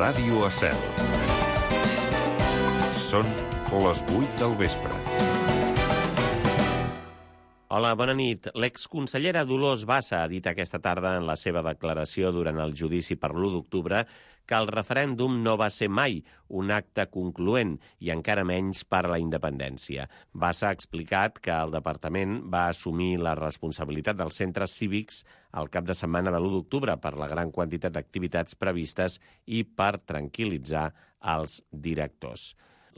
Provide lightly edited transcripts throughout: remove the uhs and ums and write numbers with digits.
Ràdio Estel. Són les 8 del vespre. Hola, bona nit. L'exconsellera Dolors Bassa ha dit aquesta tarda en la seva declaració durant el judici per l'1 d'octubre que el referèndum no va ser mai un acte concloent i encara menys per a la independència. Bassa ha explicat que el departament va assumir la responsabilitat dels centres cívics al cap de setmana de l'1 d'octubre per la gran quantitat d'activitats previstes i per tranquil·litzar els directors.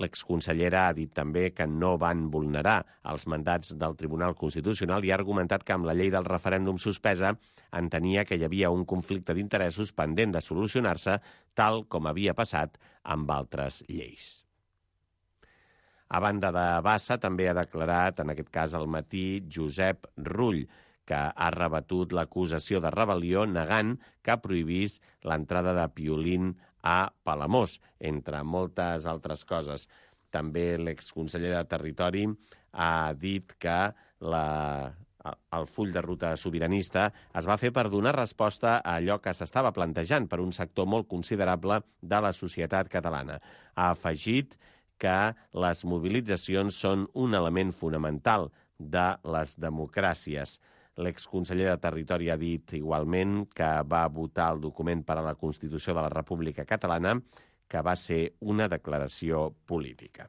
L'exconsellera ha dit també que no van vulnerar els mandats del Tribunal Constitucional i ha argumentat que amb la llei del referèndum suspesa entenia que hi havia un conflicte d'interessos pendent de solucionar-se, tal com havia passat amb altres lleis. A banda de Bassa, també ha declarat, en aquest cas al matí, Josep Rull, que ha rebatut l'acusació de rebel·lió negant que prohibís l'entrada de Piolín a Palamós, entre moltes altres coses. També l'exconseller de Territori ha dit que el full de ruta sobiranista es va fer per donar resposta a allò que s'estava plantejant per un sector molt considerable de la societat catalana. Ha afegit que les mobilitzacions són un element fonamental de les democràcies. L'exconseller de Territori ha dit igualment que va votar el document per a la Constitució de la República Catalana, que va ser una declaració política.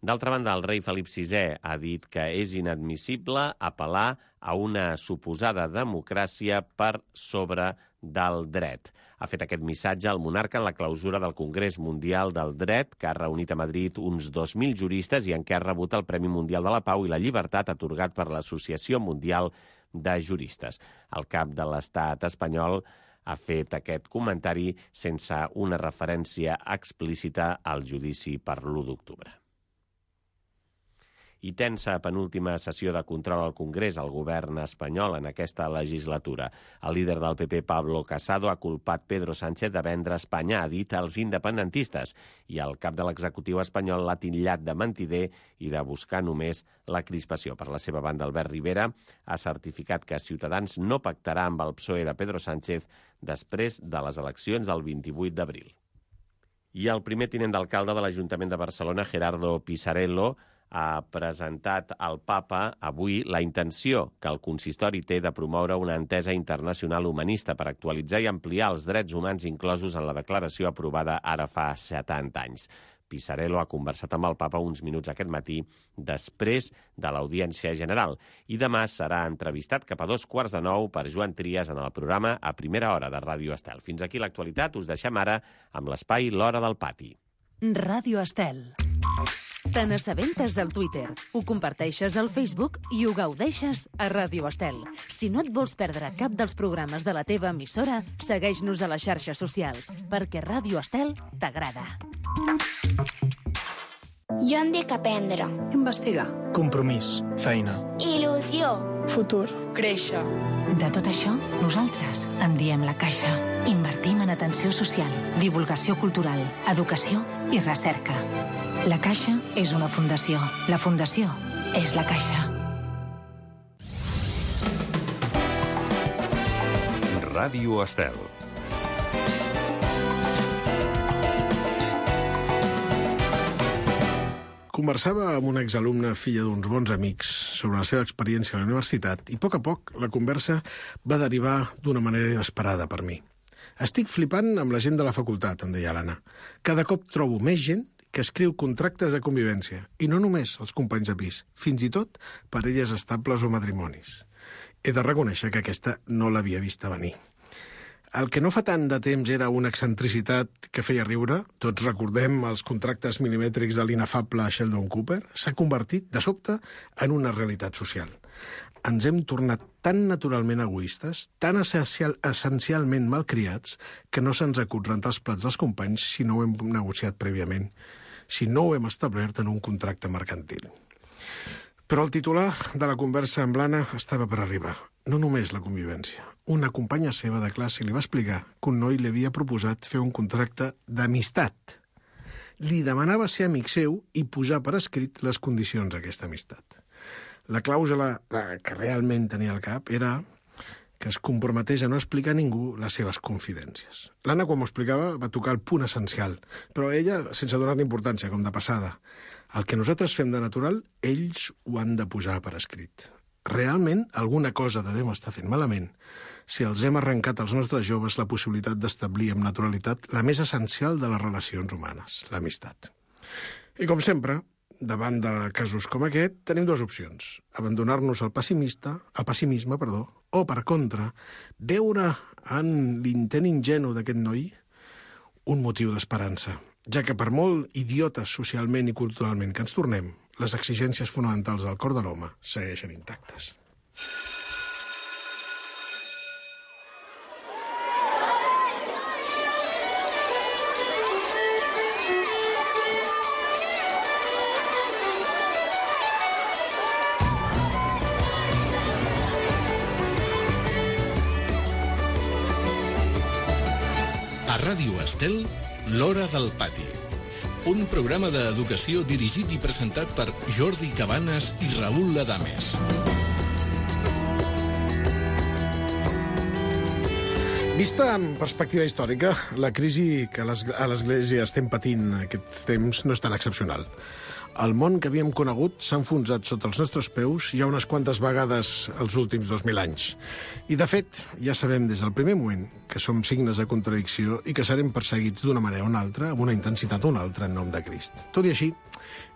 D'altra banda, el rei Felip VI ha dit que és inadmissible apel·lar a una suposada democràcia per sobre del dret. Ha fet aquest missatge el monarca en la clausura del Congrés Mundial del Dret, que ha reunit a Madrid uns 2.000 juristes i en què ha rebut el Premi Mundial de la Pau i la Llibertat atorgat per l'Associació Mundial de Juristes. El cap de l'Estat espanyol ha fet aquest comentari sense una referència explícita al judici per l'1 d'octubre. I tensa penúltima sessió de control al Congrés al govern espanyol en aquesta legislatura. El líder del PP, Pablo Casado, ha culpat Pedro Sánchez de vendre Espanya, ha dit, als independentistes, i el cap de l'executiu espanyol l'ha titllat de mentider i de buscar només la crispació. Per la seva banda, Albert Rivera ha certificat que Ciutadans no pactarà amb el PSOE de Pedro Sánchez després de les eleccions del 28 d'abril. I el primer tinent d'alcalde de l'Ajuntament de Barcelona, Gerardo Pisarello, ha presentat al Papa avui la intenció que el consistori té de promoure una entesa internacional humanista per actualitzar i ampliar els drets humans inclosos en la declaració aprovada ara fa 70 anys. Pisarello ha conversat amb el Papa uns minuts aquest matí després de l'Audiència General i demà serà entrevistat cap a 8:45 per Joan Trias en el programa A Primera Hora de Ràdio Estel. Fins aquí l'actualitat, us deixem ara amb l'espai L'Hora del Pati. Ràdio Estel. Te n'assabentes al Twitter, ho comparteixes al Facebook i ho gaudeixes a Ràdio Estel. Si no et vols perdre cap dels programes de la teva emissora, segueix-nos a les xarxes socials, perquè Ràdio Estel t'agrada. Jo em dic aprendre. Investigar. Compromís. Feina. Il·lusió. Futur. Créixer. De tot això, nosaltres en diem La Caixa. Invertim en atenció social, divulgació cultural, educació i recerca. La Caixa és una fundació. La fundació és La Caixa. Ràdio Estel. Conversava amb una exalumna, filla d'uns bons amics, sobre la seva experiència a la universitat i a poc la conversa va derivar d'una manera inesperada per mi. Estic flipant amb la gent de la facultat, em deia l'Anna. Cada cop trobo més gent que escriu contractes de convivència, i no només els companys de pis, fins i tot parelles estables o matrimonis. He de reconèixer que aquesta no l'havia vista venir. El que no fa tant de temps era una excentricitat que feia riure, tots recordem els contractes milimètrics de l'inefable Sheldon Cooper, s'ha convertit, de sobte, en una realitat social. Ens hem tornat tan naturalment egoistes, tan essencialment malcriats, que no se'ns acut rentar els plats dels companys si no ho hem negociat prèviament, si no ho hem establert en un contracte mercantil. Però el titular de la conversa amb l'Anna estava per arribar. No només la convivència. Una companya seva de classe li va explicar que un noi li havia proposat fer un contracte d'amistat. Li demanava ser amic seu i posar per escrit les condicions d'aquesta amistat. La clàusula que realment tenia al cap era que es comprometés a no explicar a ningú les seves confidències. L'Anna, quan m'ho explicava, va tocar el punt essencial, però ella, sense donar-li importància, com de passada. El que nosaltres fem de natural, ells ho han de posar per escrit. Realment, alguna cosa devem estar fent malament si els hem arrencat als nostres joves la possibilitat d'establir amb naturalitat la més essencial de les relacions humanes, l'amistat. I com sempre, davant de casos com aquest, tenim dues opcions. Abandonar-nos al pessimisme, o, per contra, veure en l'intent ingenu d'aquest noi un motiu d'esperança, ja que per molt idiotes socialment i culturalment que ens tornem, les exigències fonamentals del cor de l'home segueixen intactes. A Ràdio Estel, l'Hora del Pati. Un programa d'educació dirigit i presentat per Jordi Cabanes i Raül Ladames. Vista en perspectiva històrica, la crisi que a l'Església estem patint aquests temps no és tan excepcional. El món que havíem conegut s'ha enfonsat sota els nostres peus ja unes quantes vegades els últims 2.000 anys. I, de fet, ja sabem des del primer moment que som signes de contradicció i que serem perseguits d'una manera o una altra, amb una intensitat o una altra, en nom de Crist. Tot i així,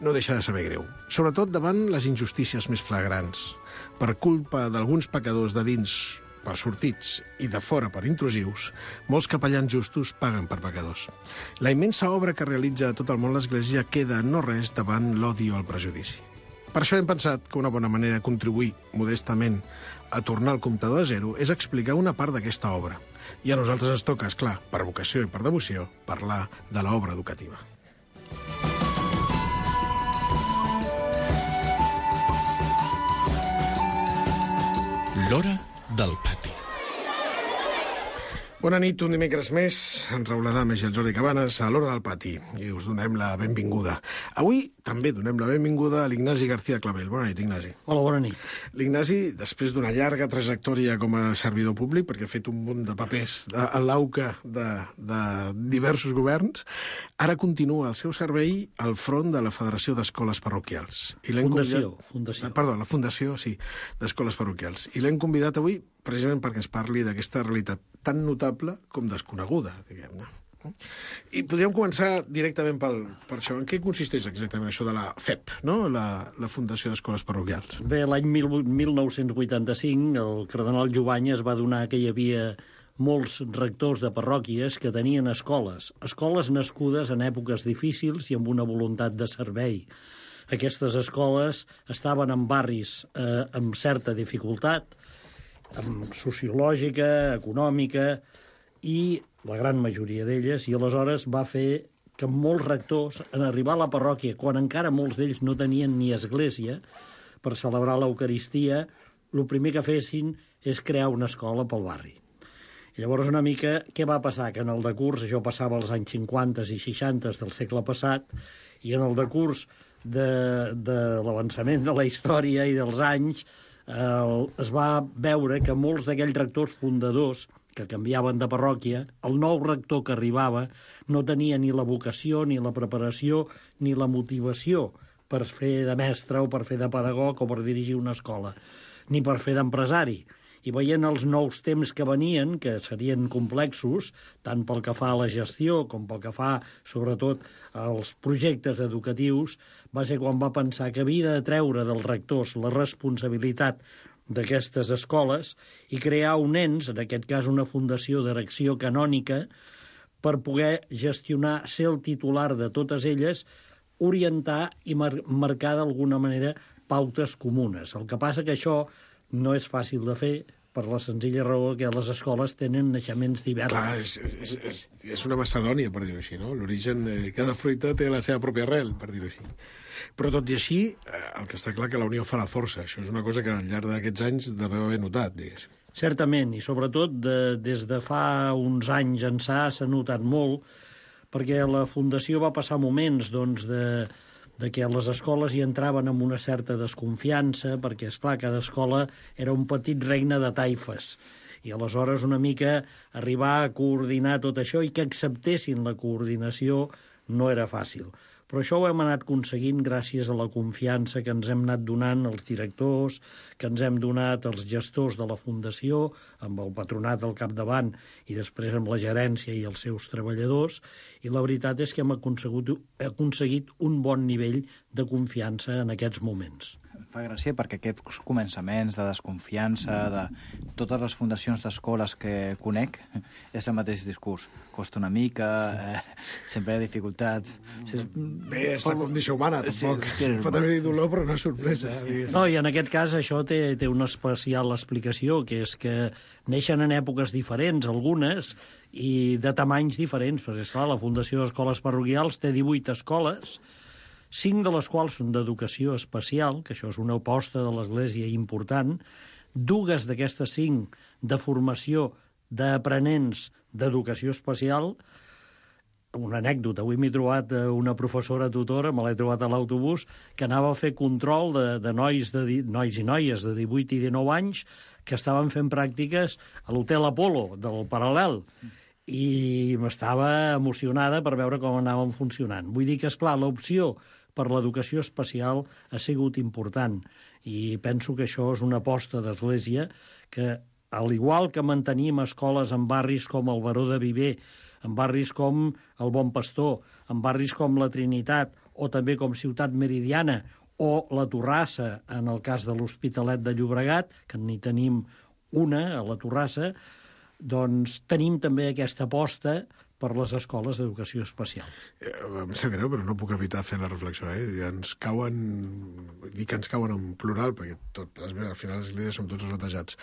no deixa de saber greu, sobretot davant les injustícies més flagrants. Per culpa d'alguns pecadors de dins per sortits i de fora per intrusius, molts capellans justos paguen per pecadors. La immensa obra que realitza a tot el món l'Església queda no res davant l'odi o el prejudici. Per això hem pensat que una bona manera de contribuir modestament a tornar el comptador a zero és explicar una part d'aquesta obra. I a nosaltres ens toca, esclar, per vocació i per devoció, parlar de l'obra educativa. L'Hora del Pati. Bona nit, un dimecres més, en Raül Ladames i el Jordi Cabanes a l'Hora del Pati, i us donem la benvinguda. Avui també donem la benvinguda a l'Ignasi García Clavel. Bona nit, Ignasi. Hola, bona nit. L'Ignasi, després d'una llarga trajectòria com a servidor públic, perquè ha fet un munt de papers a l'AUCA de diversos governs, ara continua el seu servei al front de la Federació d'Escoles Parroquials. Fundació. Perdó, la Fundació, sí, d'Escoles Parroquials. I l'hem convidat avui precisament perquè ens parli d'aquesta realitat tan notable com desconeguda, diguem-ne. I podríem començar directament per això. En què consisteix exactament això de la FEP, no? La Fundació d'Escoles Parroquials? Bé, l'any 1985 el cardenal Jovany es va adonar que hi havia molts rectors de parròquies que tenien escoles nascudes en èpoques difícils i amb una voluntat de servei. Aquestes escoles estaven en barris amb certa dificultat, sociològica, econòmica, i la gran majoria d'elles, i aleshores va fer que molts rectors, en arribar a la parròquia, quan encara molts d'ells no tenien ni església per celebrar l'Eucaristia, el primer que fessin és crear una escola pel barri. I llavors una mica, què va passar? Que en el decurs, això passava als anys 50 i 60 del segle passat, i en el decurs de l'avançament de la història i dels anys, es va veure que molts d'aquells rectors fundadors que canviaven de parròquia, el nou rector que arribava no tenia ni la vocació, ni la preparació, ni la motivació per fer de mestre o per fer de pedagog o per dirigir una escola, ni per fer d'empresari. I veient els nous temps que venien, que serien complexos, tant pel que fa a la gestió com pel que fa, sobretot, als projectes educatius, va ser quan va pensar que havia de treure dels rectors la responsabilitat d'aquestes escoles i crear un ens, en aquest cas una fundació d'erecció canònica, per poder gestionar, ser el titular de totes elles, orientar i marcar d'alguna manera pautes comunes. El que passa que això no és fàcil de fer per la senzilla raó que les escoles tenen naixements diversos. Clar, és una macedònia, per dir-ho així, no? L'origen, cada fruita té la seva pròpia arrel, per dir-ho així. Però tot i així, el que està clar que la unió fa la força. Això és una cosa que al llarg d'aquests anys deveu haver notat, diguéssim. Certament, i sobretot des de fa uns anys ençà s'ha notat molt, perquè la Fundació va passar moments de que les escoles hi entraven amb una certa desconfiança, perquè, esclar, cada escola era un petit regne de taifes, I aleshores una mica arribar a coordinar tot això i que acceptessin la coordinació no era fàcil. Però això ho hem anat aconseguint gràcies a la confiança que ens hem anat donant els directors, que ens hem donat els gestors de la Fundació, amb el patronat al capdavant i després amb la gerència i els seus treballadors, i la veritat és que hem aconseguit un bon nivell de confiança en aquests moments. Em fa gràcia perquè aquests començaments de desconfiança de totes les fundacions d'escoles que conec és el mateix discurs. Costa una mica, sempre hi ha dificultats. Bé, és la condició humana, tampoc. Pot haver-hi dolor, però no és sorpresa. No, i en aquest cas això té una especial explicació, que és que neixen en èpoques diferents, algunes, i de tamanys diferents, perquè, esclar, la Fundació d'Escoles Parroquials té 18 escoles, 5 de les quals són d'educació especial, que això és una aposta de l'Església important, 2 d'aquestes 5 de formació d'aprenents d'educació especial. Una anècdota, avui m'he trobat una professora tutora, me l'he trobat a l'autobús, que anava a fer control de nois i noies de 18 i 19 anys que estaven fent pràctiques a l'Hotel Apolo del Paral·lel, i m'estava emocionada per veure com anaven funcionant. Vull dir que, esclar, l'opció per l'educació especial ha sigut important, i penso que això és una aposta d'Església que, al igual que mantenim escoles en barris com el Baró de Viver, en barris com el Bon Pastor, en barris com la Trinitat, o també com Ciutat Meridiana, o la Torrassa, en el cas de l'Hospitalet de Llobregat, que n'hi tenim una, a la Torrassa, doncs tenim també aquesta aposta per les escoles d'educació especial. Em sap greu, però no puc evitar fer la reflexió. Ens cauen, dic que ens cauen en plural, perquè al final les esglésies som tots batejats.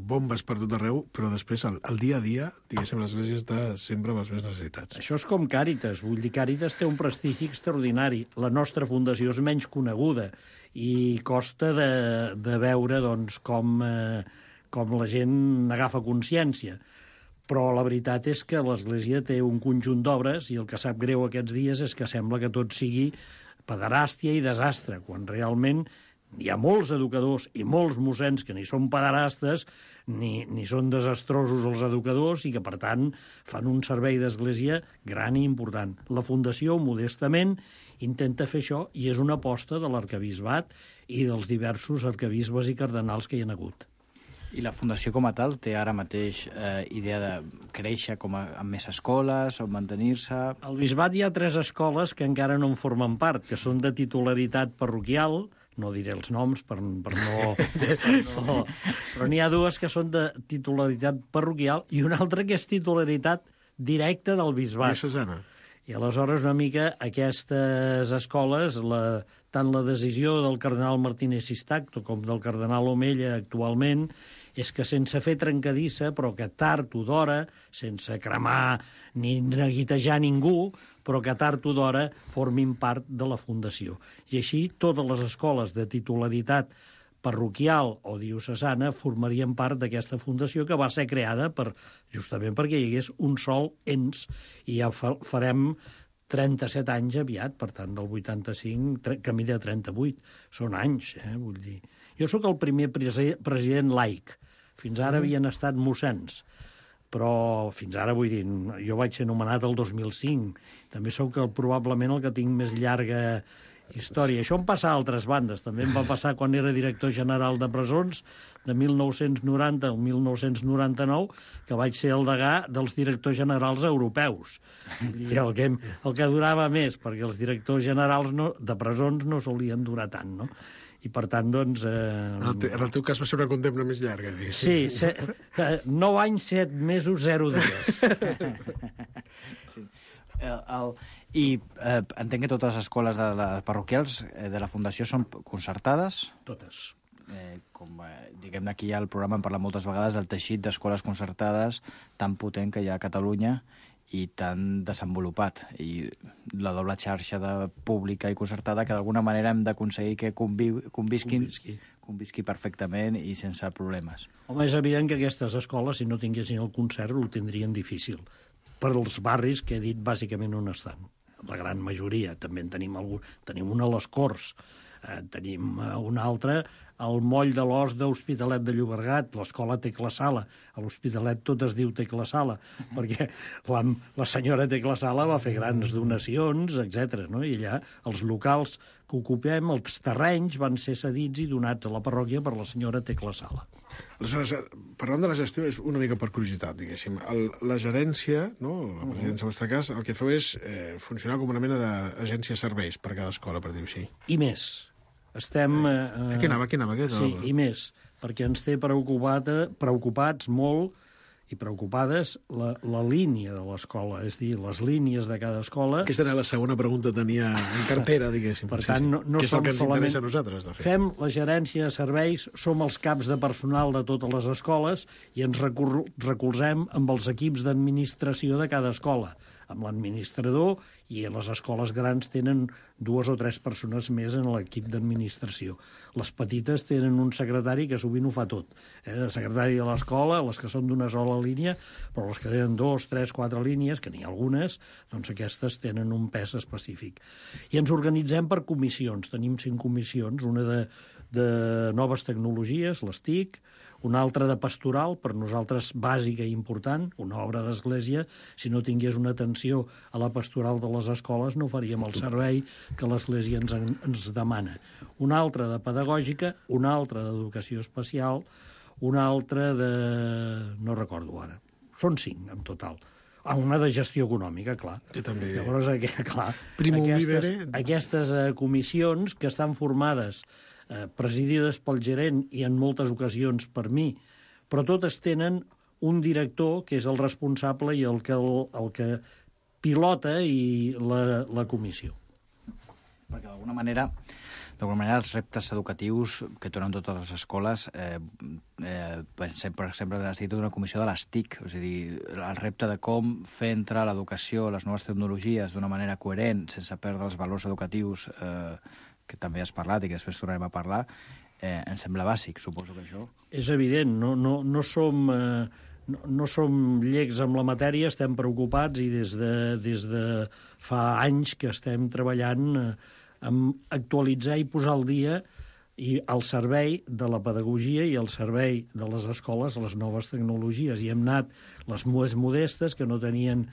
Bombes per tot arreu, però després, el dia a dia, diguéssim, l'església està sempre amb les més necessitats. Això és com Càritas. Vull dir, Càritas té un prestigi extraordinari. La nostra fundació és menys coneguda i costa de veure doncs, com la gent agafa consciència. Però la veritat és que l'Església té un conjunt d'obres i el que sap greu aquests dies és que sembla que tot sigui pederàstia i desastre, quan realment hi ha molts educadors i molts mossens que ni són pederastes ni són desastrosos els educadors i que, per tant, fan un servei d'Església gran i important. La Fundació, modestament, intenta fer això i és una aposta de l'arquebisbat i dels diversos arquebisbes i cardenals que hi ha hagut. I la Fundació com a tal té ara mateix idea de créixer amb més escoles o mantenir-se? Al bisbat hi ha 3 escoles que encara no en formen part, que són de titularitat parroquial, no diré els noms per no... Però n'hi ha 2 que són de titularitat parroquial i una altra que és titularitat directa del bisbat. Diocesana. I aleshores una mica aquestes escoles, tant la decisió del cardenal Martínez Sistacto com del cardenal Omella actualment, és que sense fer trencadissa, però que tard o d'hora, sense cremar ni neguitejar ningú, però que tard o d'hora formin part de la Fundació. I així totes les escoles de titularitat parroquial o diocesana formarien part d'aquesta fundació que va ser creada justament perquè hi hagués un sol ens, i ja farem 37 anys aviat, per tant, del 85, camí de 38. Són anys, vull dir. Jo sóc el primer president laic. Fins ara havien estat mossens, però fins ara, vull dir, jo vaig ser nomenat el 2005. També sóc probablement el que tinc més llarga història. Això em passa a altres bandes. També em va passar quan era director general de presons, de 1990 al 1999, que vaig ser el degà dels directors generals europeus. I el que durava més, perquè els directors generals de presons no solien durar tant, no? I, per tant, doncs... En el teu cas va ser una condemna més llarga, diguéssim. Sí, 9 anys, 7 mesos, 0 dies. I entenc que totes les escoles parroquials de la Fundació són concertades? Totes. Diguem-ne, aquí hi ha el programa, en parla moltes vegades del teixit d'escoles concertades tan potent que hi ha a Catalunya i tan desenvolupat, i la doble xarxa de pública i concertada que d'alguna manera hem d'aconseguir que convisqui perfectament i sense problemes. Home, és evident que aquestes escoles, si no tinguessin el concert, ho tindrien difícil. Per als barris que he dit bàsicament on estan. La gran majoria, també en tenim algun. Tenim una a les Corts, tenim una altra el moll de l'os d'Hospitalet de Llobregat, l'escola Tecla Sala. A l'Hospitalet tot es diu Tecla Sala, perquè la senyora Tecla Sala va fer grans donacions, etc. No? I allà els locals que ocupem, els terrenys, van ser cedits i donats a la parròquia per la senyora Tecla Sala. Aleshores, parlant de la gestió, és una mica per curiositat, diguéssim. La gerència, no? La presidència, en el vostre cas, el que feu és funcionar com una mena d'agència de serveis per cada escola, per dir-ho així. I més. Estem... Aquí anava. Sí, i més, perquè ens té preocupats molt i preocupades la línia de l'escola, és a dir, les línies de cada escola... Aquesta era la segona pregunta que tenia en cartera, diguéssim. Per tant, no que és som el que ens solament... interessa a nosaltres, de fet. Fem la gerència de serveis, som els caps de personal de totes les escoles i ens recolzem amb els equips d'administració de cada escola, amb l'administrador, i a les escoles grans tenen 2 o 3 persones més en l'equip d'administració. Les petites tenen un secretari que sovint ho fa tot. El secretari de l'escola, les que són d'una sola línia, però les que tenen 2, 3, 4 línies, que n'hi ha algunes, doncs aquestes tenen un pes específic. I ens organitzem per comissions. Tenim 5 comissions, una de noves tecnologies, les TIC, una altra de pastoral, per nosaltres bàsica i important, una obra d'església. Si no tingués una atenció a la pastoral de les escoles no faríem el servei que l'església ens demana. Una altra de pedagògica, una altra d'educació especial, una altra de... no recordo ara. Són 5 en total. Una de gestió econòmica, clar. Que també... Llavors, clar, aquestes comissions que estan formades presidides pel gerent i en moltes ocasions per mi, però totes tenen un director que és el responsable i el que pilota i la comissió. Perquè d'alguna manera els reptes educatius que tenen totes les escoles sempre ha estat una comissió de les TIC, és a dir, el repte de com fer entrar l'educació, les noves tecnologies d'una manera coherent, sense perdre els valors educatius que també has parlat i que després tornarem a parlar, em sembla bàsic, suposo que això. És evident, no som llecs amb la matèria, estem preocupats i des de fa anys que estem treballant amb actualitzar i posar al dia i al servei de la pedagogia i al servei de les escoles les noves tecnologies. I hem anat les més modestes que tenien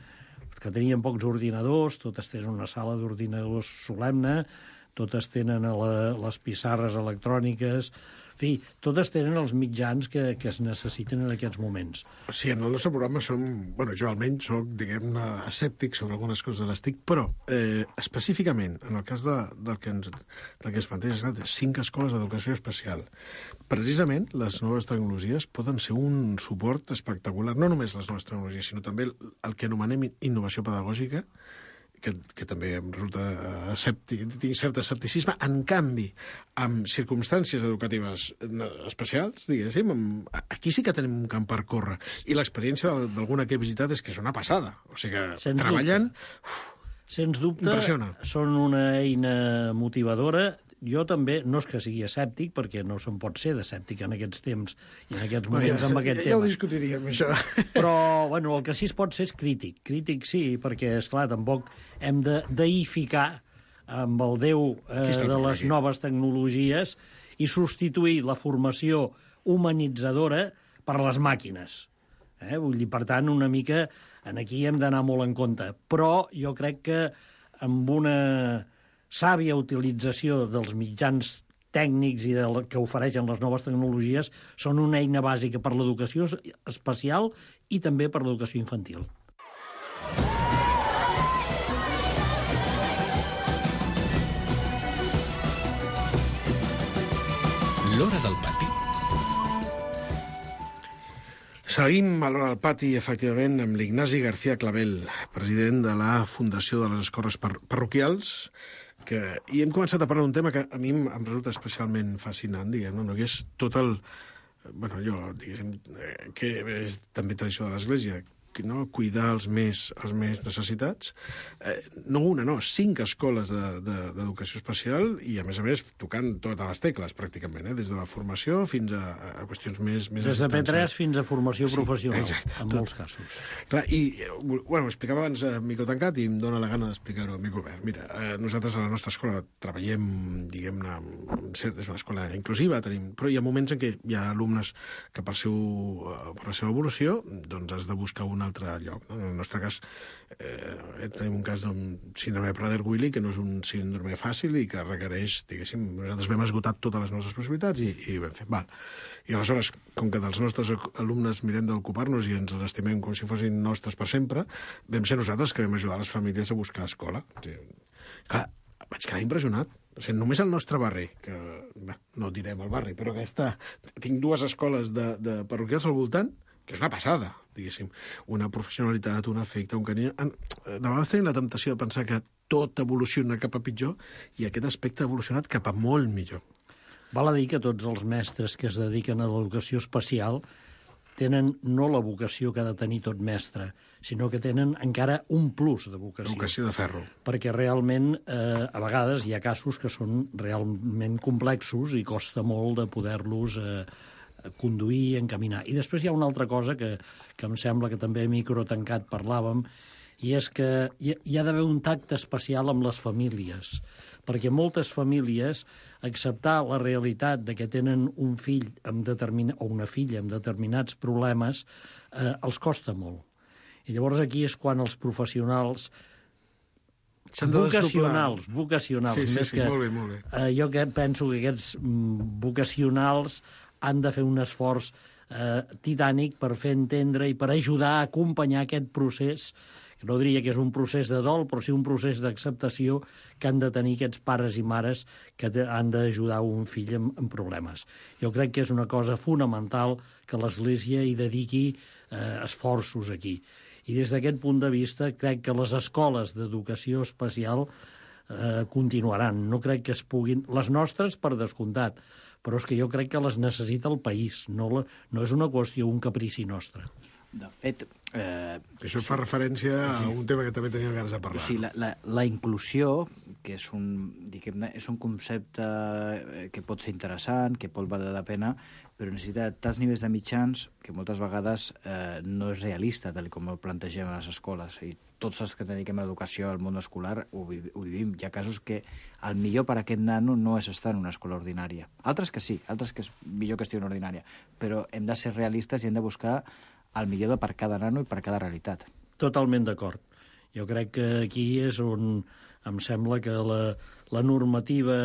pocs ordinadors, totes tenen una sala d'ordinadors solemne, totes tenen les pissarres electròniques, en fi, totes tenen els mitjans que es necessiten en aquests moments. Sí, en el nostre programa jo almenys soc, diguem-ne, escèptic sobre algunes coses de les TIC, però específicament, en el cas del que es planteja, 5 escoles d'educació especial, precisament les noves tecnologies poden ser un suport espectacular, no només les noves tecnologies, sinó també el que anomenem innovació pedagògica, que també em resulta tinc cert escepticisme. En canvi, amb circumstàncies educatives especials, diguéssim, aquí sí que tenim un camp per córrer. I l'experiència d'alguna que he visitat és que és una passada. O sigui que treballant... Sens dubte, impressiona. Són una eina motivadora. Jo també, no és que sigui escèptic, perquè no se'n pot ser d'escèptic en aquests temps i en aquests moments amb aquest tema. Ja ho discutiríem, això. Però, bueno, el que sí es pot ser és crític. Crític sí, perquè, esclar, tampoc hem de deificar amb el Déu de les noves tecnologies i substituir la formació humanitzadora per les màquines. Vull dir, per tant, una mica aquí hem d'anar molt en compte. Però jo crec que amb una sàvia utilització dels mitjans tècnics i que ofereixen les noves tecnologies són una eina bàsica per l'educació especial i també per l'educació infantil. L'Hora del Pati. Seguim a l'Hora del Pati, efectivament, amb l'Ignasi García Clavel, president de la Fundació de les Escoles Parroquials, i hem començat a parlar d'un tema que a mi em resulta especialment fascinant, diguem-ne, no? Que és tot el... allò, diguéssim, que és també tradició de l'Església, cuidar els més necessitats. No una, no, 5 escoles d'educació especial i, a més, tocant totes les tecles, pràcticament, des de la formació fins a qüestions més des de P3 fins a formació professional, exacte, en molts casos. Clar, i, bueno, explicava abans a micro tancat i em dóna la gana d'explicar-ho a micro obert. Mira, nosaltres a la nostra escola treballem, diguem-ne, és una escola inclusiva, però hi ha moments en què hi ha alumnes que per la seva evolució doncs has de buscar un altre lloc. No? En el nostre cas, tenim un cas d'un síndrome de Prader-Willi, que no és un síndrome fàcil i que requereix, diguéssim, nosaltres vam esgotat totes les nostres possibilitats i vam fer, val. I aleshores, com que dels nostres alumnes mirem d'ocupar-nos i ens els estimem com si fossin nostres per sempre, vam ser nosaltres que vam ajudar les famílies a buscar escola. O sigui, clar, vaig quedar impressionat. O sigui, només el nostre barri, que no direm el barri, però que tinc 2 escoles de parroquials al voltant, que és una passada, diguéssim. Una professionalitat, un afecte, un carinyo. De vegades tenim la temptació de pensar que tot evoluciona cap a pitjor i aquest aspecte ha evolucionat cap a molt millor. Val a dir que tots els mestres que es dediquen a l'educació especial tenen no la vocació que ha de tenir tot mestre, sinó que tenen encara un plus de vocació. Vocació de ferro. Perquè realment, a vegades, hi ha casos que són realment complexos i costa molt de poder-los conduir, encaminar. I després hi ha una altra cosa que em sembla que també a micro tancat parlàvem, i és que hi ha d'haver un tacte especial amb les famílies, perquè moltes famílies acceptar la realitat de que tenen un fill o una filla amb determinats problemes els costa molt. I llavors aquí és quan els professionals vocacionals, sí, molt bé. Jo penso que aquests vocacionals han de fer un esforç titànic per fer entendre i per ajudar a acompanyar aquest procés, que no diria que és un procés de dol, però sí un procés d'acceptació que han de tenir aquests pares i mares que han d'ajudar un fill en problemes. Jo crec que és una cosa fonamental que l'Església hi dediqui esforços aquí. I des d'aquest punt de vista crec que les escoles d'educació especial continuaran. No crec que es puguin... Les nostres, per descomptat, però és que jo crec que les necessita el país. No és una qüestió, un caprici nostre. De fet... Això fa referència a un tema que també teníem ganes de parlar. Sí, la inclusió, que és un concepte que pot ser interessant, que pot valer la pena, però necessita tants nivells de mitjans que moltes vegades no és realista, tal com ho plantegem a les escoles. I tots els que dediquem a l'educació al món escolar ho vivim. Hi ha casos que el millor per a aquest nano no és estar en una escola ordinària. Altres que sí, altres que és millor que estigui en ordinària. Però hem de ser realistes i hem de buscar el millor per cada nano i per cada realitat. Totalment d'acord. Jo crec que aquí és on em sembla que la normativa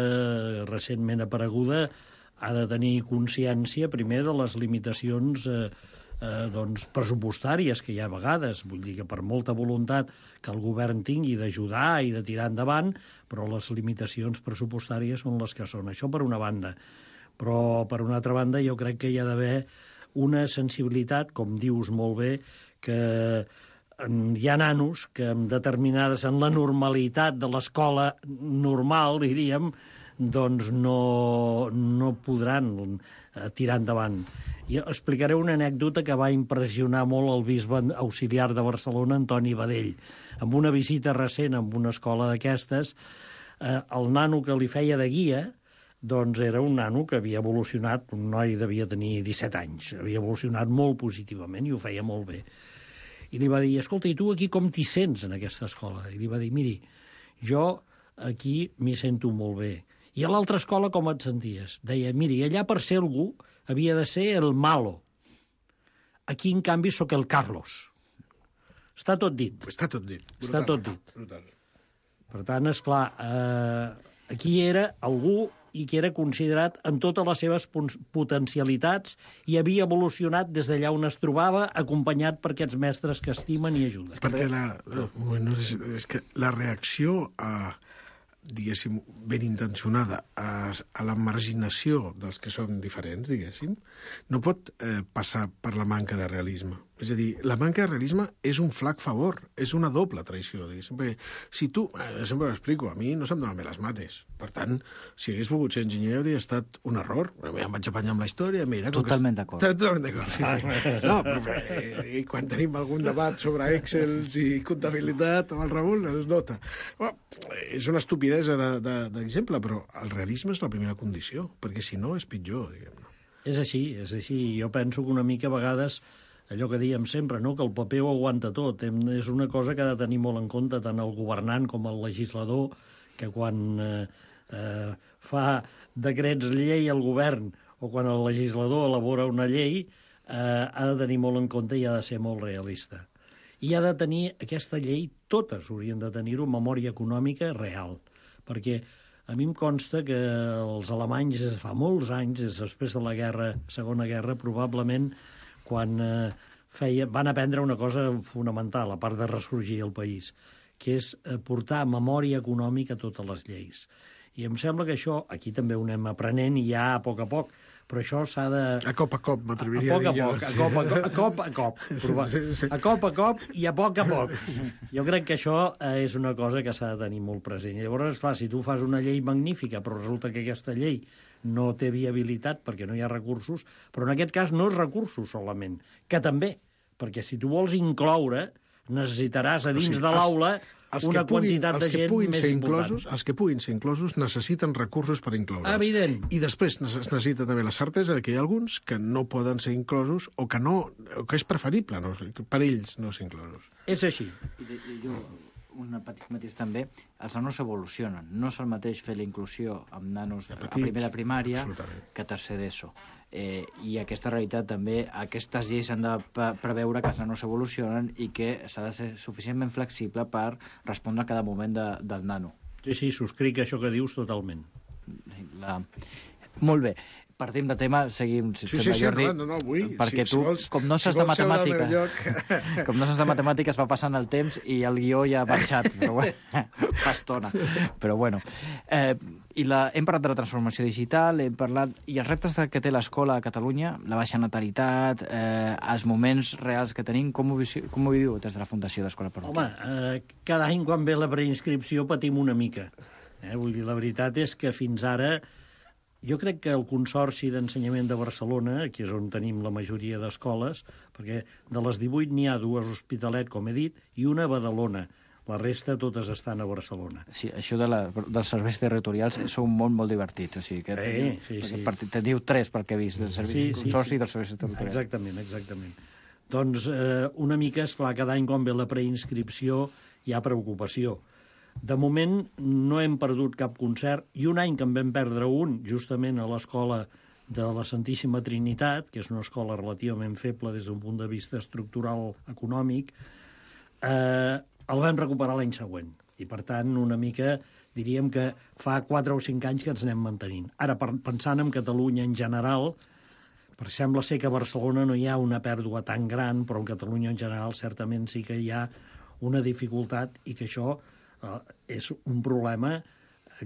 recentment apareguda ha de tenir consciència primer de les limitacions pressupostàries que hi ha a vegades. Vull dir que per molta voluntat que el govern tingui d'ajudar i de tirar endavant, però les limitacions pressupostàries són les que són. Això per una banda. Però per una altra banda jo crec que hi ha d'haver una sensibilitat, com dius molt bé, que hi ha nanos que en la normalitat de l'escola normal, diríem, doncs no podran tirar endavant. I explicaré una anècdota que va impressionar molt el bisbe auxiliar de Barcelona, Antoni Badell. Amb una visita recent en una escola d'aquestes, el nano que li feia de guia doncs era un nano que havia evolucionat, un noi devia tenir 17 anys, havia evolucionat molt positivament i ho feia molt bé. I li va dir, escolta, i tu aquí com t'hi sents en aquesta escola? I li va dir, miri, jo aquí m'hi sento molt bé. I a l'altra escola com et senties? Deia, miri, allà per ser algú havia de ser el malo. Aquí, en canvi, sóc el Carlos. Està tot dit. Està tot dit. Brutal. Està tot dit. Brutal. Per tant, esclar, aquí era algú i que era considerat en totes les seves potencialitats i havia evolucionat des d'allà on es trobava, acompanyat per aquests mestres que estimen i ajuden. Perquè és que la reacció diguéssim, ben intencionada a la marginació dels que són diferents, diguéssim, no pot passar per la manca de realisme. És a dir, la manca de realisme és un flac favor, és una doble traïció. Perquè si tu, sempre ho explico, a mi no se'm donen bé les mates. Per tant, si hagués volgut ser enginyer hauria estat un error. Em vaig apanyar amb la història. Mira, Totalment d'acord. Totalment d'acord, sí. No, però quan tenim algun debat sobre Excel i comptabilitat amb el Raül, es nota. És una estupidesa d'exemple, però el realisme és la primera condició, perquè si no és pitjor, diguem-ne. És així, és així. Jo penso que una mica a vegades allò que dèiem sempre, no? Que el paper ho aguanta tot. És una cosa que ha de tenir molt en compte tant el governant com el legislador, que quan fa decrets llei al govern o quan el legislador elabora una llei, ha de tenir molt en compte i ha de ser molt realista. I ha de tenir aquesta llei, totes haurien de tenir-ho, memòria econòmica real. Perquè a mi em consta que els alemanys, fa molts anys, després de la Segona Guerra, probablement quan van aprendre una cosa fonamental, a part de ressorgir el país, que és portar memòria econòmica a totes les lleis. I em sembla que això, aquí també ho anem aprenent i ja a poc, però això s'ha de... A cop, m'atreviria a dir jo. A cop. A cop i a poc. Jo crec que això és una cosa que s'ha de tenir molt present. Llavors, esclar, si tu fas una llei magnífica, però resulta que aquesta llei no té viabilitat perquè no hi ha recursos, però en aquest cas no és recursos solament, que també, perquè si tu vols incloure, necessitaràs a dins de l'aula una quantitat de gent més important. Els que puguin ser inclosos necessiten recursos per incloure's. Evident. I després es necessita també la certesa que hi ha alguns que no poden ser inclosos o que és preferible per ells no ser inclosos. És així. Un petit matís també, els nanos evolucionen. No és el mateix fer la inclusió amb nanos a primera primària que a tercer d'ESO. I aquesta realitat també, aquestes lleis han de preveure que els nanos evolucionen i que s'ha de ser suficientment flexible per respondre a cada moment del nano. Sí, subscric això que dius totalment. Molt bé. Partim de tema, seguim, Jordi, vull. Perquè tu, com no saps de matemàtiques, va passant el temps i el guió ja ha marxat, però fa estona. Però bueno. Hem parlat de la transformació digital, hem parlat... I els reptes que té l'escola a Catalunya, la baixa natalitat, els moments reals que tenim, com ho viviu des de la Fundació d'Escola Parròquia? Home, cada any quan ve la preinscripció patim una mica. Vull dir, la veritat és que fins ara... Jo crec que el Consorci d'Ensenyament de Barcelona, que és on tenim la majoria d'escoles, perquè de les 18 n'hi ha 2 a Hospitalet, com he dit, i una a Badalona. La resta totes estan a Barcelona. Sí, això dels serveis territorials és un món molt divertit. O sigui, teniu 3 pel que he vist, del Consorci i dels serveis territorials. Exactament. Doncs una mica, esclar, cada any quan ve la preinscripció hi ha preocupació. De moment no hem perdut cap concert i un any que en vam perdre un, justament a l'escola de la Santíssima Trinitat, que és una escola relativament feble des d'un punt de vista estructural econòmic, el vam recuperar l'any següent. I, per tant, una mica diríem que fa 4 o 5 anys que ens anem mantenint. Ara, pensant en Catalunya en general, perquè sembla ser que a Barcelona no hi ha una pèrdua tan gran, però en Catalunya en general certament sí que hi ha una dificultat i que això és un problema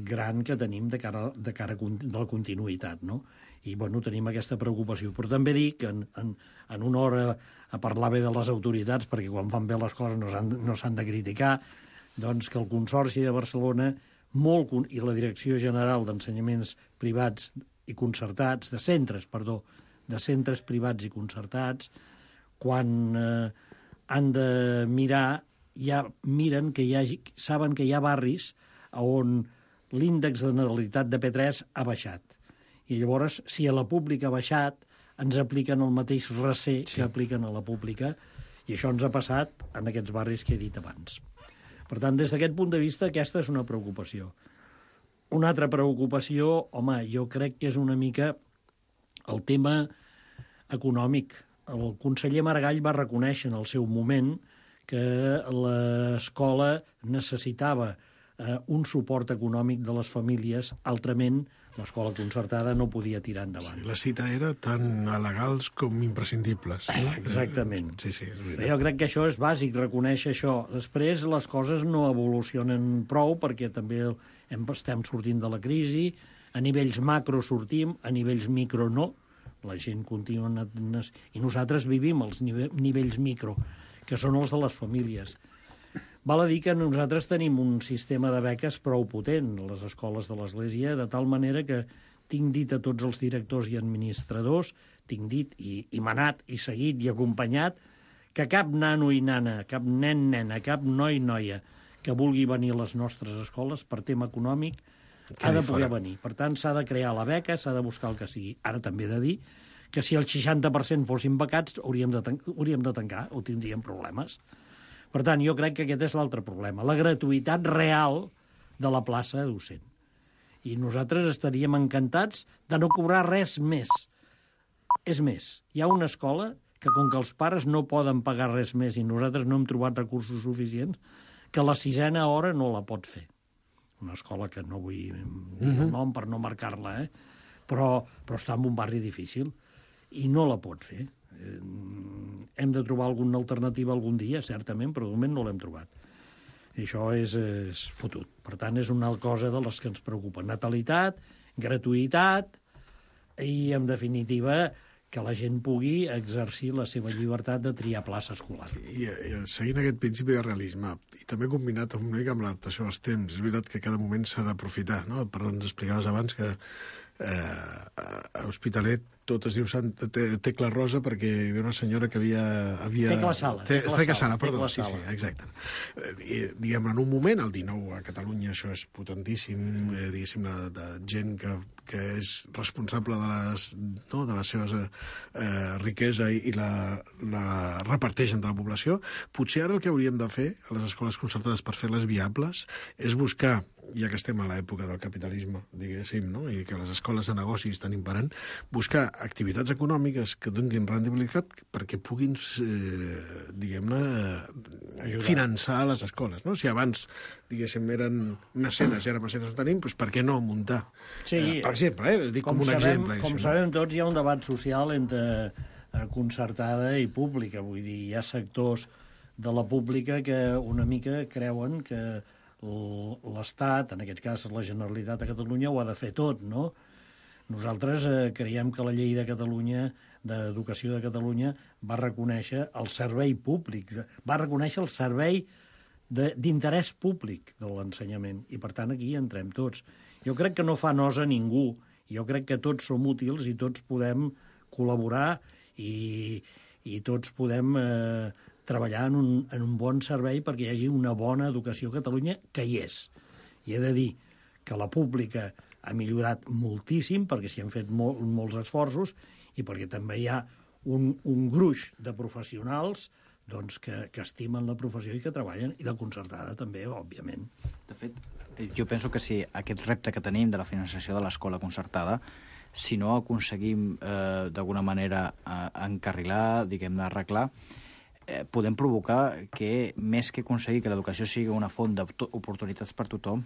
gran que tenim de cara de la continuïtat, no? I, bueno, tenim aquesta preocupació. Però també dic que en una hora a parlar bé de les autoritats, perquè quan fan bé les coses no s'han de criticar, doncs que el Consorci de Barcelona i la Direcció General d'Ensenyaments Privats i Concertats, de centres privats i concertats, quan han de mirar, ja miren que saben que hi ha barris on l'índex de natalitat de P3 ha baixat. I llavors, si a la pública ha baixat, ens apliquen el mateix recer que apliquen a la pública, i això ens ha passat en aquests barris que he dit abans. Per tant, des d'aquest punt de vista, aquesta és una preocupació. Una altra preocupació, home, jo crec que és una mica el tema econòmic. El conseller Maragall va reconèixer en el seu moment que l'escola necessitava un suport econòmic de les famílies, altrament l'escola concertada no podia tirar endavant. Sí, la cita era tan legals com imprescindibles. Exactament. Sí, és veritat. Jo crec que això és bàsic, reconèixer això. Després les coses no evolucionen prou perquè també estem sortint de la crisi, a nivells macro sortim, a nivells micro no, La gent continua... I nosaltres vivim els nivells micro, que són els de les famílies. Val a dir que nosaltres tenim un sistema de beques prou potent a les escoles de l'Església, de tal manera que tinc dit a tots els directors i administradors, tinc dit i manat i seguit i acompanyat, que cap nano i nana, cap nen, nena, cap noi, noia que vulgui venir a les nostres escoles per tema econòmic ha de poder venir. Per tant, s'ha de crear la beca, s'ha de buscar el que sigui. Ara també he de dir que si el 60% fossin becats hauríem de tancar o tindríem problemes. Per tant, jo crec que aquest és l'altre problema, la gratuïtat real de la plaça docent. I nosaltres estaríem encantats de no cobrar res més. És més, hi ha una escola que, com que els pares no poden pagar res més i nosaltres no hem trobat recursos suficients, que la 6a hora no la pot fer. Una escola que no vull dir el nom per no marcar-la, però està en un barri difícil i no la pot fer. Hem de trobar alguna alternativa algun dia, certament, però de moment no l'hem trobat. I això és fotut. Per tant, és una cosa de les que ens preocupa. Natalitat, gratuïtat i, en definitiva, que la gent pugui exercir la seva llibertat de triar plaça escolar. I seguint aquest principi de realisme, i també combinat una mica amb l'adaptació als temps, és veritat que cada moment s'ha d'aprofitar, no? Però ens explicaves abans que a Hospitalet tot es diu Tecla Rosa perquè hi havia una senyora que havia... Tecla Sala. Tecla Sala, perdó. Sí, exacte. Diguem, en un moment, el 19 a Catalunya, això és potentíssim, diguéssim, de gent que és responsable de les seves riquesa i la reparteix entre la població. Potser ara el que hauríem de fer a les escoles concertades per fer-les viables és buscar, ja que estem a l'època del capitalisme, diguéssim, no? I que les escoles de negoci estan imperant, buscar activitats econòmiques que donin rendibilitat perquè puguin, diguem-ne, finançar les escoles, no? Si abans, diguéssim, eren mecenes i ara mecenes no tenim, doncs per què no muntar? Sí, per exemple, dic com un exemple. Com sabem tots, hi ha un debat social entre concertada i pública, vull dir, hi ha sectors de la pública que una mica creuen que l'Estat, en aquest cas la Generalitat de Catalunya, ho ha de fer tot, no? Nosaltres creiem que la llei de Catalunya, d'Educació de Catalunya, va reconèixer el servei públic, va reconèixer el servei d'interès públic de l'ensenyament, i per tant aquí entrem tots. Jo crec que no fa nosa a ningú, jo crec que tots som útils i tots podem col·laborar i tots podem treballar en un bon servei perquè hi hagi una bona educació a Catalunya, que hi és. I he de dir que la pública ha millorat moltíssim perquè s'hi han fet molts esforços i perquè també hi ha un gruix de professionals doncs, que estimen la professió i que treballen, i la concertada també, òbviament. De fet, jo penso que si aquest repte que tenim de la finançació de l'escola concertada, si no aconseguim d'alguna manera encarrilar, diguem-ne, arreglar, podem provocar que, més que aconseguir que l'educació sigui una font d'oportunitats per tothom,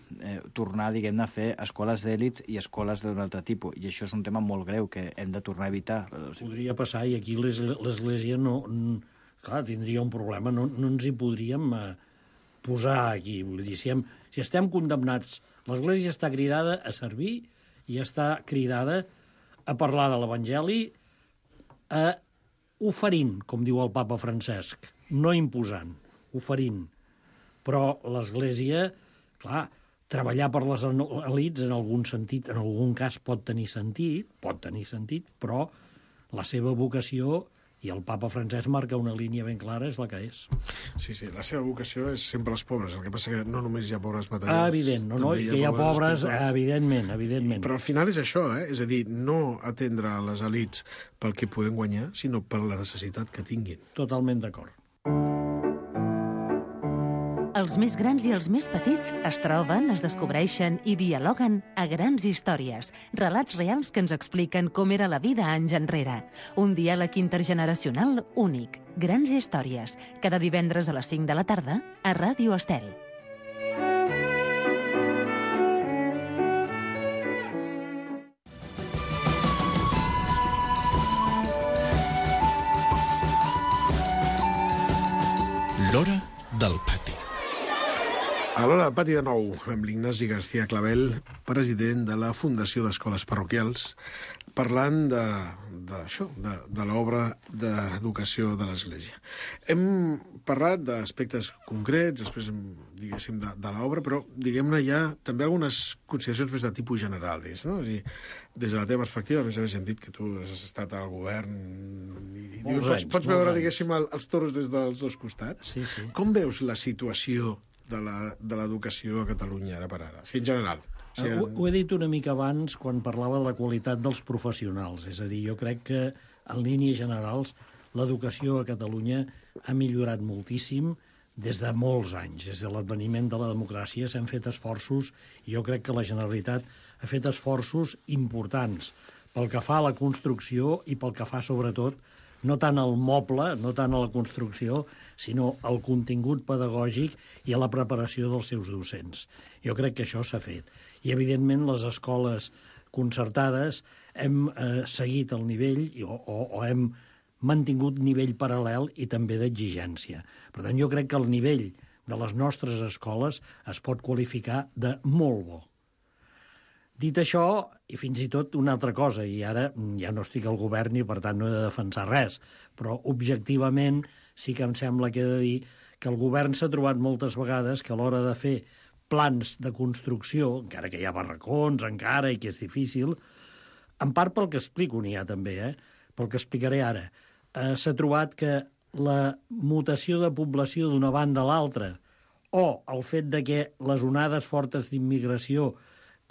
tornar, diguem-ne, a fer escoles d'èlits i escoles d'un altre tipus. I això és un tema molt greu que hem de tornar a evitar. Podria passar, i aquí l'Església no... Clar, tindria un problema, no ens hi podríem posar aquí. Vull dir, si estem condemnats, l'Església està cridada a servir i està cridada a parlar de l'Evangeli, oferint, com diu el papa Francesc, no imposant, oferint. Però l'Església, clar, treballar per les elits en algun sentit, en algun cas pot tenir sentit, però la seva vocació, i el papa Francesc marca una línia ben clara, és la que és. Sí, la seva vocació és sempre els pobres, el que passa que no només hi ha pobres materials. Evident, no, que hi ha pobres, evidentment. Però al final és això, és a dir, no atendre a les elits pel que puguin guanyar, sinó per la necessitat que tinguin. Totalment d'acord. Els més grans i els més petits es troben, es descobreixen i dialoguen a Grans Històries, relats reals que ens expliquen com era la vida anys enrere. Un diàleg intergeneracional únic. Grans Històries, cada divendres a les 5 de la tarda a Ràdio Estel. L'hora del pati. A l'hora del pati de nou, amb l'Ignasi García Clavel, president de la Fundació d'Escoles Parroquials, parlant de l'obra d'educació de l'Església. Hem parlat d'aspectes concrets, després, diguéssim, de l'obra, però, diguem-ne, hi ha també algunes consideracions més de tipus general, no? És a dir, des de la teva perspectiva, a més a més hem dit que tu has estat al govern i pots veure, diguéssim, els toros des dels dos costats. Sí, sí. Com veus la situació de l'educació a Catalunya, ara per ara, en general? Ho he dit una mica abans quan parlava de la qualitat dels professionals. És a dir, jo crec que, en línies generals, l'educació a Catalunya ha millorat moltíssim des de molts anys. Des de l'adveniment de la democràcia s'han fet esforços, i jo crec que la Generalitat ha fet esforços importants pel que fa a la construcció i pel que fa, sobretot, no tant al moble, no tant a la construcció, sinó al contingut pedagògic i a la preparació dels seus docents. Jo crec que això s'ha fet. I, evidentment, les escoles concertades hem seguit el nivell o hem mantingut nivell paral·lel i també d'exigència. Per tant, jo crec que el nivell de les nostres escoles es pot qualificar de molt bo. Dit això, i fins i tot una altra cosa, i ara ja no estic al govern i per tant no he de defensar res, però objectivament sí que em sembla que he de dir que el govern s'ha trobat moltes vegades que a l'hora de fer plans de construcció, encara que hi ha barracons, encara, i que és difícil, en part pel que explico n'hi ha també, pel que explicaré ara, s'ha trobat que la mutació de població d'una banda a l'altra o el fet de que les onades fortes d'immigració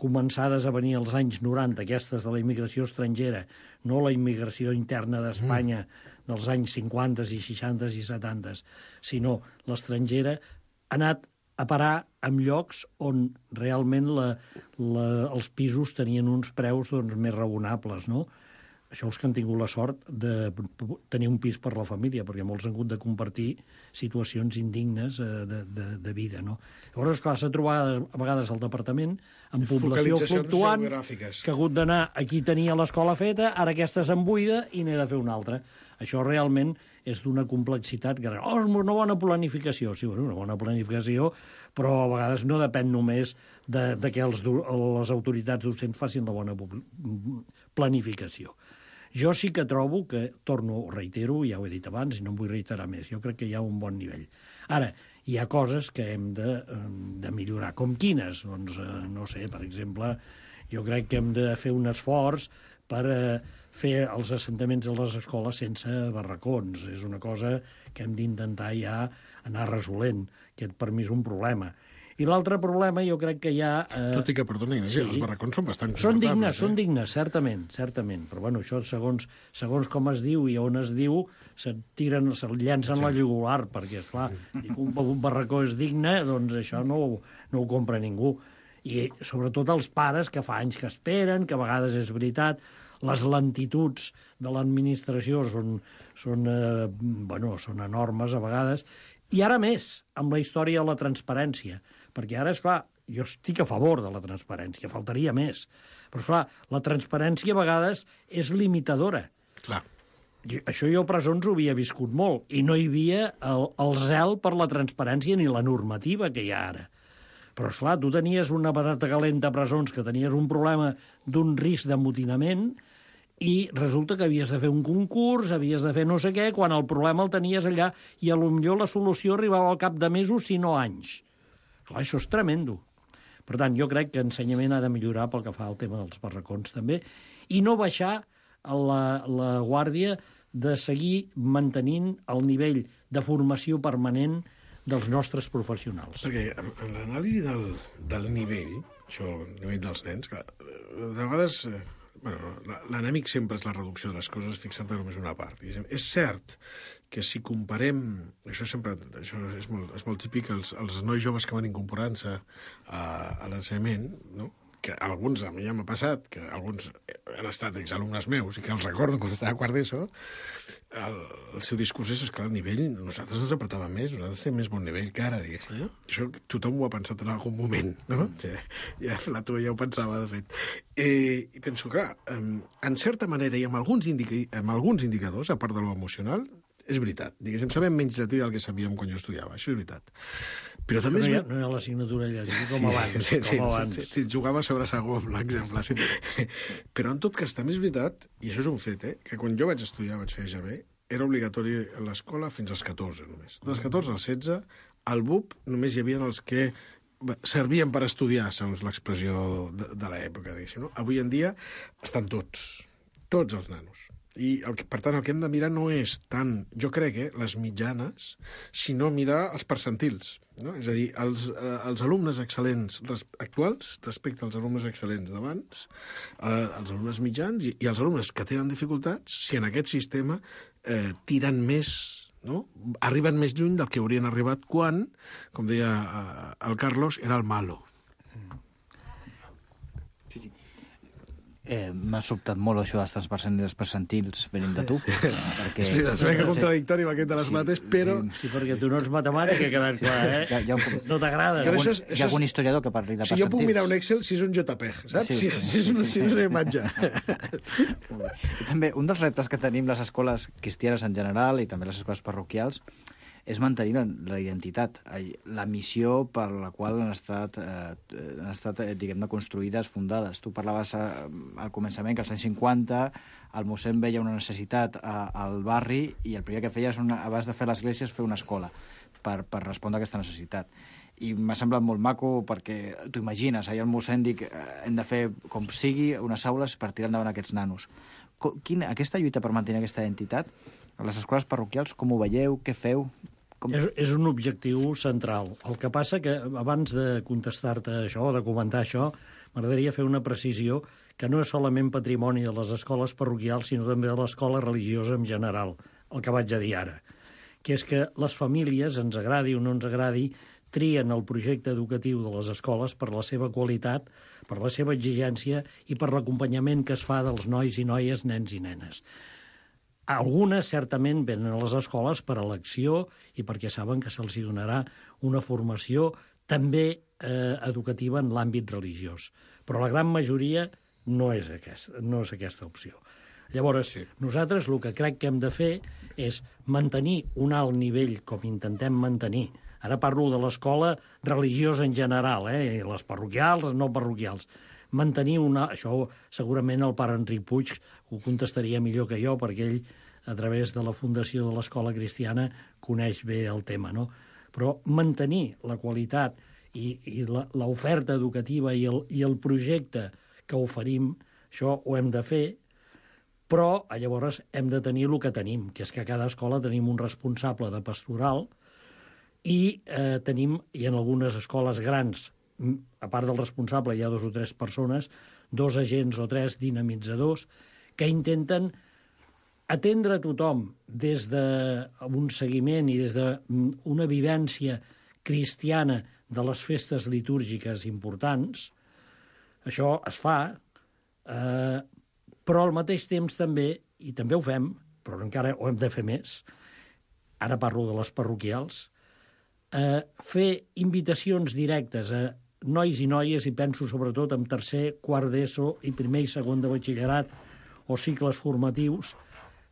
començades a venir als anys 90, aquestes de la immigració estrangera, no la immigració interna d'Espanya dels anys 50 i 60 i 70, sinó l'estrangera, ha anat a parar en llocs on realment els pisos tenien uns preus més raonables, no? Això els que han tingut la sort de tenir un pis per la família, perquè molts han hagut de compartir situacions indignes de vida, no? Llavors, clar, s'ha trobat a vegades al departament amb població fluctuant, que ha hagut d'anar, aquí tenia l'escola feta, ara aquesta se'n buida i n'he de fer una altra. Això realment és d'una complexitat que... és una bona planificació. Sí, una bona planificació, però a vegades no depèn només de que les autoritats docents facin la bona planificació. Jo sí que trobo que, reitero, ja ho he dit abans i no em vull reiterar més, jo crec que hi ha un bon nivell. Ara, hi ha coses que hem de millorar. Com quines? Doncs, no sé, per exemple, jo crec que hem de fer un esforç per fer els assentaments de les escoles sense barracons. És una cosa que hem d'intentar ja anar resolent, que per mi és un problema. I l'altre problema jo crec que hi ha... Tot i que, perdoni, els barracons són bastant confortables. Són dignes, certament. Però bueno, això segons com es diu i on es diu, se'l llancen la lligular, perquè, esclar, un barracó és digne, doncs això no ho compra ningú. I sobretot els pares, que fa anys que esperen, que a vegades és veritat, les lentituds de l'administració són enormes a vegades, i ara més, amb la història de la transparència, perquè ara, esclar, jo estic a favor de la transparència, faltaria més, però, esclar, la transparència a vegades és limitadora. Clar. Això jo a presons ho havia viscut molt, i no hi havia el zel per la transparència ni la normativa que hi ha ara. Però, esclar, tu tenies una patata calenta a presons, que tenies un problema d'un risc d'amotinament, i resulta que havies de fer un concurs, havies de fer no sé què, quan el problema el tenies allà, i potser la solució arribava al cap de mesos, si no anys. Clar, això és tremendo. Per tant, jo crec que ensenyament ha de millorar pel que fa al tema dels barracons, també, i no baixar la guàrdia de seguir mantenint el nivell de formació permanent dels nostres professionals. Perquè en l'anàlisi del nivell, això, el nivell dels nens, que de vegades... l'enemic sempre és la reducció de les coses, fixant-te només una part. És cert que si comparem... Això és molt típic, els nois joves que van incorporant-se a l'ensenyament, no? Que alguns, a mi ja m'ha passat, que alguns han estat exalumnes meus i que els recordo quan estava a quart d'ESO, el seu discurs és que el nivell, nosaltres ens apretava més, nosaltres tenim més bon nivell que ara, diguéssim. Això tothom ho ha pensat en algun moment, no? Ja Plató ja ho pensava, de fet. I penso, clar, en certa manera i amb alguns indicadors, a part de lo emocional, és veritat. Diguéssim, sabem menys llatí del que sabíem quan jo estudiava, això és veritat. Però també no hi ha l'assignatura llatí com abans. Sí, jugava sobre segó, l'exemple. Sí. Però en tot cas també és veritat, i això és un fet, que quan jo vaig estudiar, vaig fer EGB, era obligatori a l'escola fins als 14 només. Dels 14 als 16, al BUP només hi havia els que servien per estudiar, segons l'expressió de l'època, diguéssim. No? Avui en dia estan tots els nanos. I, per tant, el que hem de mirar no és tant, jo crec, les mitjanes, sinó mirar els percentils. No? És a dir, els alumnes excel·lents actuals respecte als alumnes excel·lents d'abans, els alumnes mitjans i els alumnes que tenen dificultats, si en aquest sistema tiren més, no? Arriben més lluny del que haurien arribat quan, com deia el Carlos, era el malo. M'ha sobtat molt això dels percentils venint de tu. Perquè... És una mica contradictori amb aquest de les mates, però... Sí, perquè tu no ets matemàtic, ha quedat clar, No t'agrada. Hi ha algun historiador que parli de percentils. Si jo puc mirar un Excel, si és un JPEG, saps? Si és una imatge. I també, un dels reptes que tenim les escoles cristianes en general i també les escoles parroquials és mantenir la identitat, la missió per la qual han estat diguem-ne, construïdes, fundades. Tu parlaves al començament que als anys 50 el mossèn veia una necessitat al barri i el primer que feia és, abans de fer l'església, és fer una escola per respondre a aquesta necessitat. I m'ha semblat molt maco perquè t'ho imagines, ahir el mossèn dic hem de fer com sigui unes aules per tirar endavant aquests nanos. Aquesta lluita per mantenir aquesta identitat a les escoles parroquials, com ho veieu? Què feu? És un objectiu central. El que passa que, abans de contestar-te això, o de comentar això, m'agradaria fer una precisió que no és solament patrimoni de les escoles parroquials, sinó també de l'escola religiosa en general, el que vaig a dir ara, que és que les famílies, ens agradi o no ens agradi, trien el projecte educatiu de les escoles per la seva qualitat, per la seva exigència i per l'acompanyament que es fa dels nois i noies, nens i nenes. Algunes, certament, venen a les escoles per elecció i perquè saben que se'ls donarà una formació també educativa en l'àmbit religiós. Però la gran majoria no és aquesta opció. Llavors, nosaltres el que crec que hem de fer és mantenir un alt nivell, com intentem mantenir. Ara parlo de l'escola religiosa en general, les parroquials, les no parroquials. Mantenir això segurament el pare Enric Puig ho contestaria millor que jo, perquè ell, a través de la fundació de l'Escola Cristiana, coneix bé el tema, no? Però mantenir la qualitat i l'oferta educativa i el projecte que oferim, això ho hem de fer, però llavors hem de tenir el que tenim, que és que a cada escola tenim un responsable de pastoral i en algunes escoles grans, a part del responsable hi ha 2 o 3 persones, 2 agents o 3 dinamitzadors, que intenten atendre a tothom des d'un seguiment i des d'una vivència cristiana de les festes litúrgiques importants. Això es fa, però al mateix temps també, i també ho fem, però encara ho hem de fer més, ara parlo de les parroquials, fer invitacions directes a nois i noies, i penso sobretot en tercer, quart d'ESO i primer i segon de batxillerat o cicles formatius,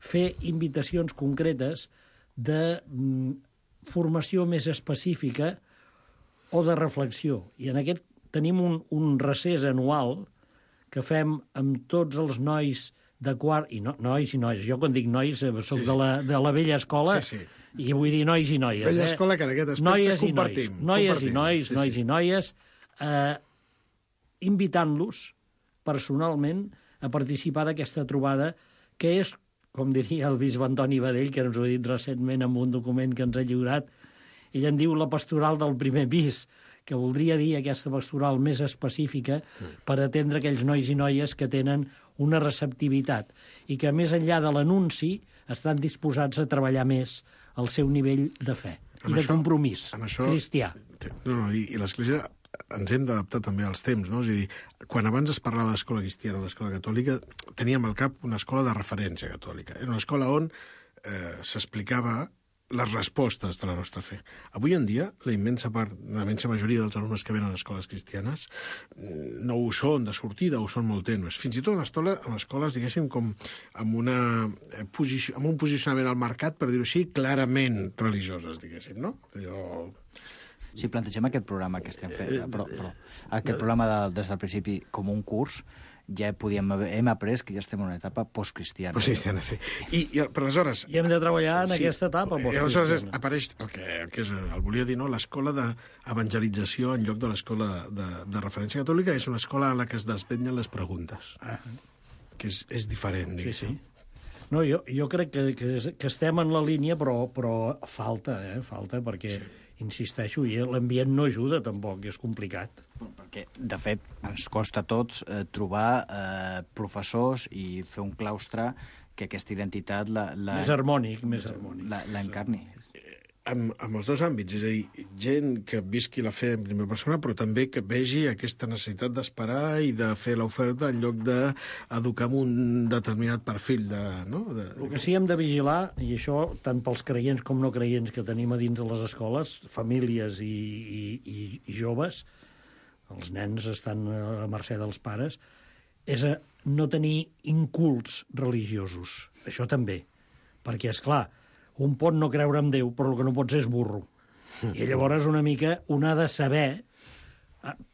fer invitacions concretes de formació més específica o de reflexió. I en aquest tenim un recés anual que fem amb tots els nois de quart... Nois i noies. Jo quan dic nois soc de la vella escola i vull dir nois i noies. Vella escola que en aquest aspecte compartim. Noies i noies, invitant-los personalment a participar d'aquesta trobada que és, com diria el bisbe Antoni Badell, que ens ho ha dit recentment en un document que ens ha lliurat, ell en diu la pastoral del primer pis, que voldria dir aquesta pastoral més específica per atendre aquells nois i noies que tenen una receptivitat i que, més enllà de l'anunci, estan disposats a treballar més el seu nivell de fe i de compromís cristià. I l'Església ens hem d'adaptar també als temps, no? És a dir, quan abans es parlava d'escola cristiana o d'escola catòlica, teníem al cap una escola de referència catòlica. Era una escola on s'explicava les respostes de la nostra fe. Avui en dia, la immensa majoria dels alumnes que venen a escoles cristianes no ho són de sortida, ho són molt tenues. Fins i tot en escoles, diguéssim, com amb un posicionament al mercat, per dir-ho així, clarament religioses, diguéssim, no? Si plantegem aquest programa que estem fent, però aquest programa des del principi com un curs, ja hem après que ja estem en una etapa postcristiana. Postcristiana, sí. Però aleshores... I hem de treballar en aquesta etapa postcristiana. Aleshores apareix el que el volia dir, no? L'escola d'evangelització en lloc de l'escola de referència catòlica és una escola a la que es desvetllen les preguntes, que és diferent, diguéssim. Sí. No, jo crec que estem en la línia, però falta perquè... Insisteixo, i l'ambient no ajuda, tampoc, és complicat. Perquè, de fet, ens costa a tots trobar professors i fer un claustre que aquesta identitat més harmònic. L'encarni. En els dos àmbits, és a dir, gent que visqui la fe en primera persona, però també que vegi aquesta necessitat d'esperar i de fer l'oferta en lloc d'educar amb un determinat perfil. El que sí hem de vigilar, i això tant pels creients com no creients que tenim a dins de les escoles, famílies i joves, els nens estan a mercè dels pares, és a no tenir incults religiosos. Això també. Perquè, és clar, un pot no creure en Déu, però el que no pot ser és burro. I llavors una mica un ha de saber,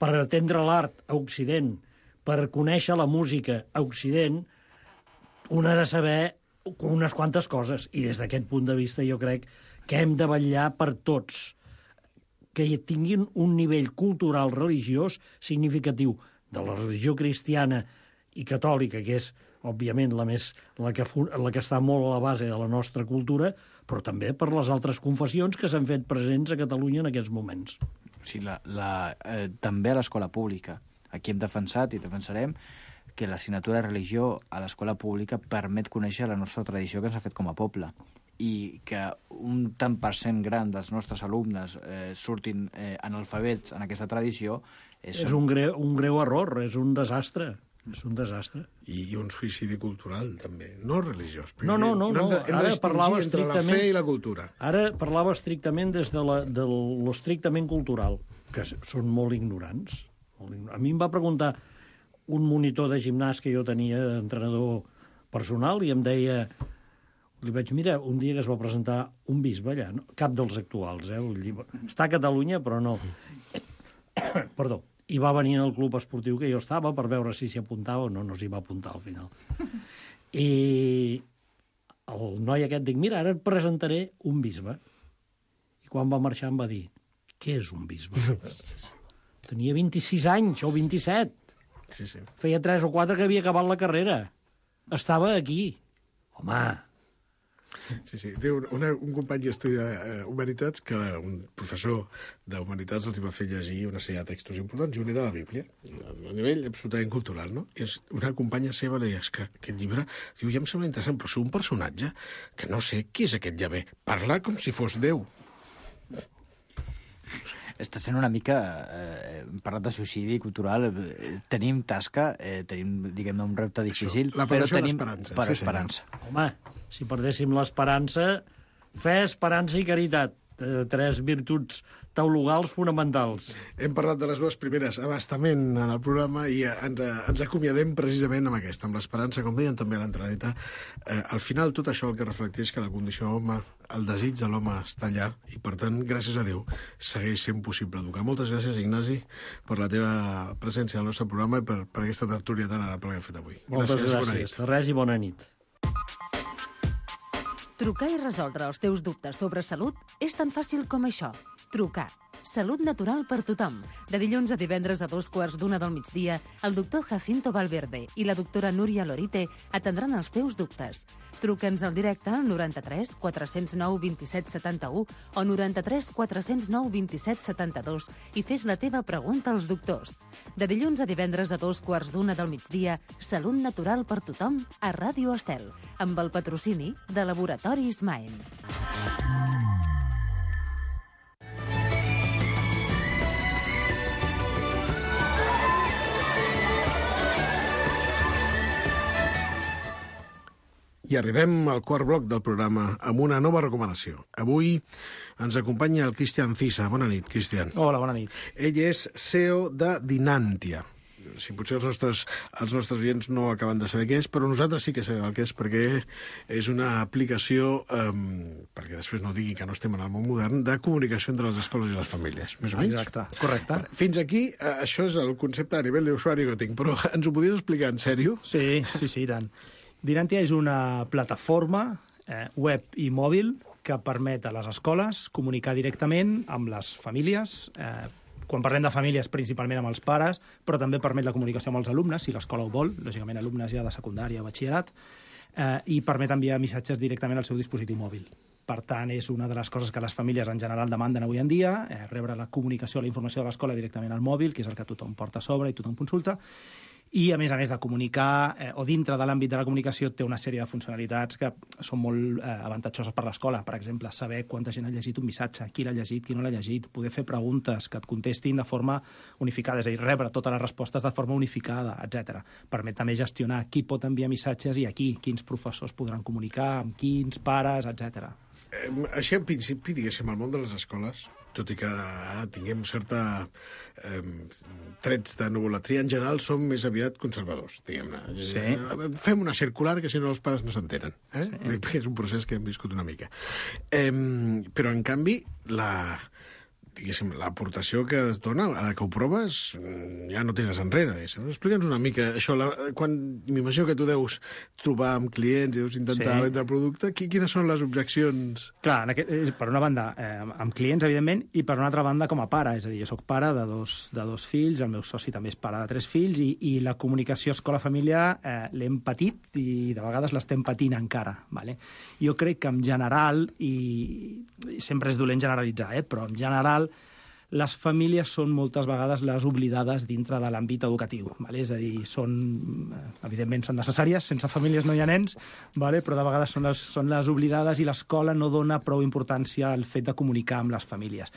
per atendre l'art a Occident, per conèixer la música a Occident, un ha de saber unes quantes coses. I des d'aquest punt de vista jo crec que hem de vetllar per tots que tinguin un nivell cultural religiós significatiu de la religió cristiana i catòlica, que és, òbviament, la que està molt a la base de la nostra cultura, però també per les altres confessions que s'han fet presents a Catalunya en aquests moments. O sigui, també a l'escola pública. Aquí hem defensat i defensarem que l'assignatura de religió a l'escola pública permet conèixer la nostra tradició que ens ha fet com a poble, i que un tant per cent gran dels nostres alumnes surtin analfabets en aquesta tradició... És un greu error, és un desastre. És un desastre. I un suïcidi cultural, també. No religiós. No. Ara parlava entre la fe i la cultura. Ara parlava estrictament des de l'estrictament cultural, que són molt ignorants. A mi em va preguntar un monitor de gimnàs que jo tenia, entrenador personal, i em deia... Li vaig mirar un dia que es va presentar un bisbe allà, no? Cap dels actuals, està a Catalunya, però no. Perdó. I va venir al club esportiu que jo estava per veure si s'hi apuntava o no s'hi va apuntar al final. I el noi aquest dic, mira, ara et presentaré un bisbe. I quan va marxar em va dir, què és un bisbe? Tenia 26 anys o 27. Sí. Feia 3 o 4 que havia acabat la carrera. Estava aquí. Home... Sí. Té un company d'estudi d'Humanitats que un professor d'Humanitats els va fer llegir una sèrie de textos importants i un era la Bíblia, a nivell absolutament cultural, no? I una companya seva li deia, és que aquest llibre, diu, ja em sembla interessant, però sou un personatge que no sé qui és aquest Yahvé. Parla com si fos Déu. Està sent una mica... Hem parlat de suïcidi cultural. Tenim tasca, tenim, diguem-ne, un repte difícil, però tenim esperança. Home, si perdéssim l'esperança, fe, esperança i caritat. 3 virtuts teologals fonamentals. Hem parlat de les dues primeres abastament en el programa i ens acomiadem precisament amb aquesta, amb l'esperança, com deien també a l'entradeta. Al final, tot això el que reflecteix que la condició home, el desig de l'home està allà i, per tant, gràcies a Déu, segueix sent possible educar. Moltes gràcies, Ignasi, per la teva presència al nostre programa i per aquesta tertúlia tan agradable que hem fet avui. Moltes gràcies. Res i bona nit. Trucar i resoldre els teus dubtes sobre salut és tan fàcil com això. Trucar. Salut natural per tothom. De dilluns a divendres a 12:15 del migdia, el doctor Jacinto Valverde i la doctora Núria Lorite atendran els teus dubtes. Truca'ns al directe al 93 409 27 71 o 93 409 27 72 i fes la teva pregunta als doctors. De dilluns a divendres a 12:15 del migdia, Salut natural per tothom a Ràdio Estel, amb el patrocini de Laboratoris Maen. I arribem al quart bloc del programa amb una nova recomanació. Avui ens acompanya el Cristian Cisa. Bona nit, Cristian. Hola, bona nit. Ell és CEO de Dinantia. Si potser els nostres oients no acaben de saber què és, però nosaltres sí que sabem el que és, perquè és una aplicació, perquè després no digui que no estem en el món modern, de comunicació entre les escoles i les famílies, més o menys. Exacte, correcte. Fins aquí, això és el concepte a nivell d'usuari que tinc, però ens ho podries explicar en sèrio? Sí, i tant. Dinantia és una plataforma web i mòbil que permet a les escoles comunicar directament amb les famílies. Quan parlem de famílies, principalment amb els pares, però també permet la comunicació amb els alumnes, si l'escola ho vol, lògicament alumnes ja de secundària o batxillerat, i permet enviar missatges directament al seu dispositiu mòbil. Per tant, és una de les coses que les famílies en general demanden avui en dia, rebre la comunicació, la informació de l'escola directament al mòbil, que és el que tothom porta a sobre i tothom consulta, i, a més de comunicar, o dintre de l'àmbit de la comunicació, té una sèrie de funcionalitats que són molt avantatjoses per l'escola. Per exemple, saber quanta gent ha llegit un missatge, qui l'ha llegit, qui no l'ha llegit, poder fer preguntes que et contestin de forma unificada, és a dir, rebre totes les respostes de forma unificada, etc. Permet també gestionar qui pot enviar missatges i a qui, quins professors podran comunicar, amb quins pares, etc. Així, en principi, diguéssim, al món de les escoles, tot i que ara tinguem certa trets de novolatria, en general som més aviat conservadors, diguem-ne. Sí. Fem una circular que si no els pares no s'entenen. Sí. És un procés que hem viscut una mica. Però, en canvi, l'aportació que es dona, a la que ho proves, ja no tires enrere. Explica'ns una mica això. Quan m'imagino que tu deus trobar amb clients i deus intentar vendre el producte, quines són les objeccions? Clar, per una banda, amb clients, evidentment, i per una altra banda com a pare. És a dir, jo soc pare de dos fills, el meu soci també és pare de 3 fills, i la comunicació escola-família l'hem patit i de vegades l'estem patint encara. Vale? Jo crec que en general, i sempre és dolent generalitzar, però en general les famílies són moltes vegades les oblidades dintre de l'àmbit educatiu. Vale? És a dir, evidentment són necessàries, sense famílies no hi ha nens, vale? Però de vegades són les oblidades i l'escola no dona prou importància al fet de comunicar amb les famílies.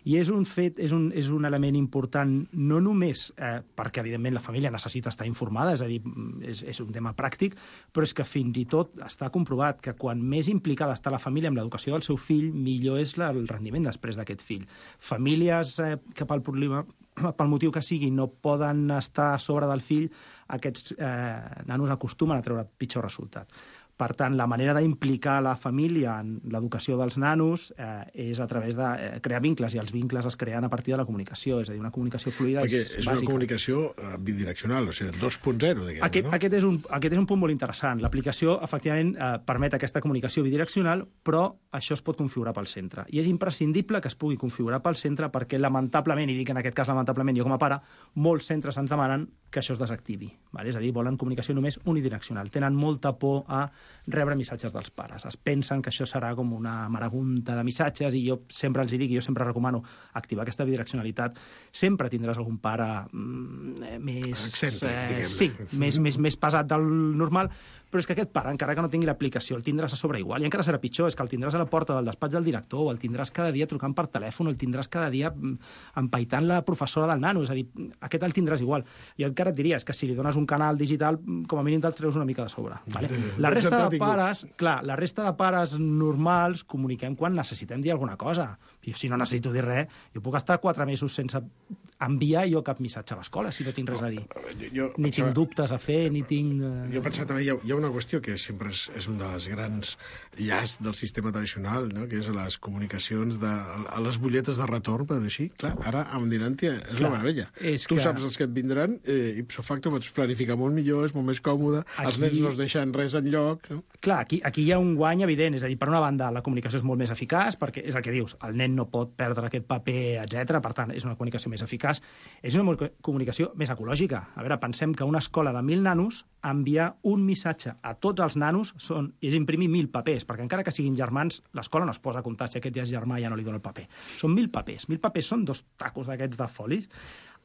I és un element important no només perquè, evidentment, la família necessita estar informada, és a dir, és un tema pràctic, però és que fins i tot està comprovat que quan més implicada està la família amb l'educació del seu fill, millor és el rendiment després d'aquest fill. Famílies que pel motiu que sigui no poden estar a sobre del fill, aquests nanos acostumen a treure pitjor resultat. Per tant, la manera d'implicar la família en l'educació dels nanos és a través de crear vincles, i els vincles es creen a partir de la comunicació, és a dir, una comunicació fluida és bàsica. És una comunicació bidireccional, o sigui, 2.0, diguem, no? Aquest és un punt molt interessant. L'aplicació, efectivament, permet aquesta comunicació bidireccional, però això es pot configurar pel centre. I és imprescindible que es pugui configurar pel centre perquè, lamentablement, i dic en aquest cas lamentablement jo com a pare, molts centres ens demanen que això es desactivi. Vale? És a dir, volen comunicació només unidireccional. Tenen molta por a rebre missatges dels pares. Es pensen que això serà com una marabunta de missatges, i jo sempre els dic, i jo sempre recomano activar aquesta bidireccionalitat. Sempre tindràs algun pare més... excèntric, diguem-ne. Més pesat del normal, però és que aquest pare, encara que no tingui l'aplicació, el tindràs a sobre igual, i encara serà pitjor, és que el tindràs a la porta del despatx del director, o el tindràs cada dia trucant per telèfon, o el tindràs cada dia empaitant la professora del nano, és a dir, aquest el tindràs igual. Jo encara et diria, és que si li dones un canal digital, com a mínim te'l treus una mica de sobre. Vale? La resta de pares normals comuniquem quan necessitem dir alguna cosa. Jo, si no necessito dir res, jo puc estar 4 mesos sense enviar jo cap missatge a l'escola, si no tinc res a dir. Ni tinc dubtes a fer, ni tinc... Jo pensava també, hi ha una qüestió que sempre és un dels grans llasts del sistema tradicional, no? Que és les comunicacions a les butlletes de retorn, per dir així. Clar, ara amb Dinantia és la meravella. Tu saps els que et vindran, ipso facto pots planificar molt millor, és molt més còmode, els nens no es deixen res enlloc. No? Clar, aquí hi ha un guany evident, és a dir, per una banda la comunicació és molt més eficaç, perquè és el que dius, el nen no pot perdre aquest paper, etc. Per tant, és una comunicació més eficaç. És una comunicació més ecològica. A veure, pensem que una escola de 1.000 nanos enviar un missatge a tots els nanos és imprimir 1.000 papers, perquè encara que siguin germans, l'escola no es posa a comptar si aquest ja és germà i ja no li dona el paper. Són 1.000 papers. 1.000 papers són 2 tacos d'aquests de folis.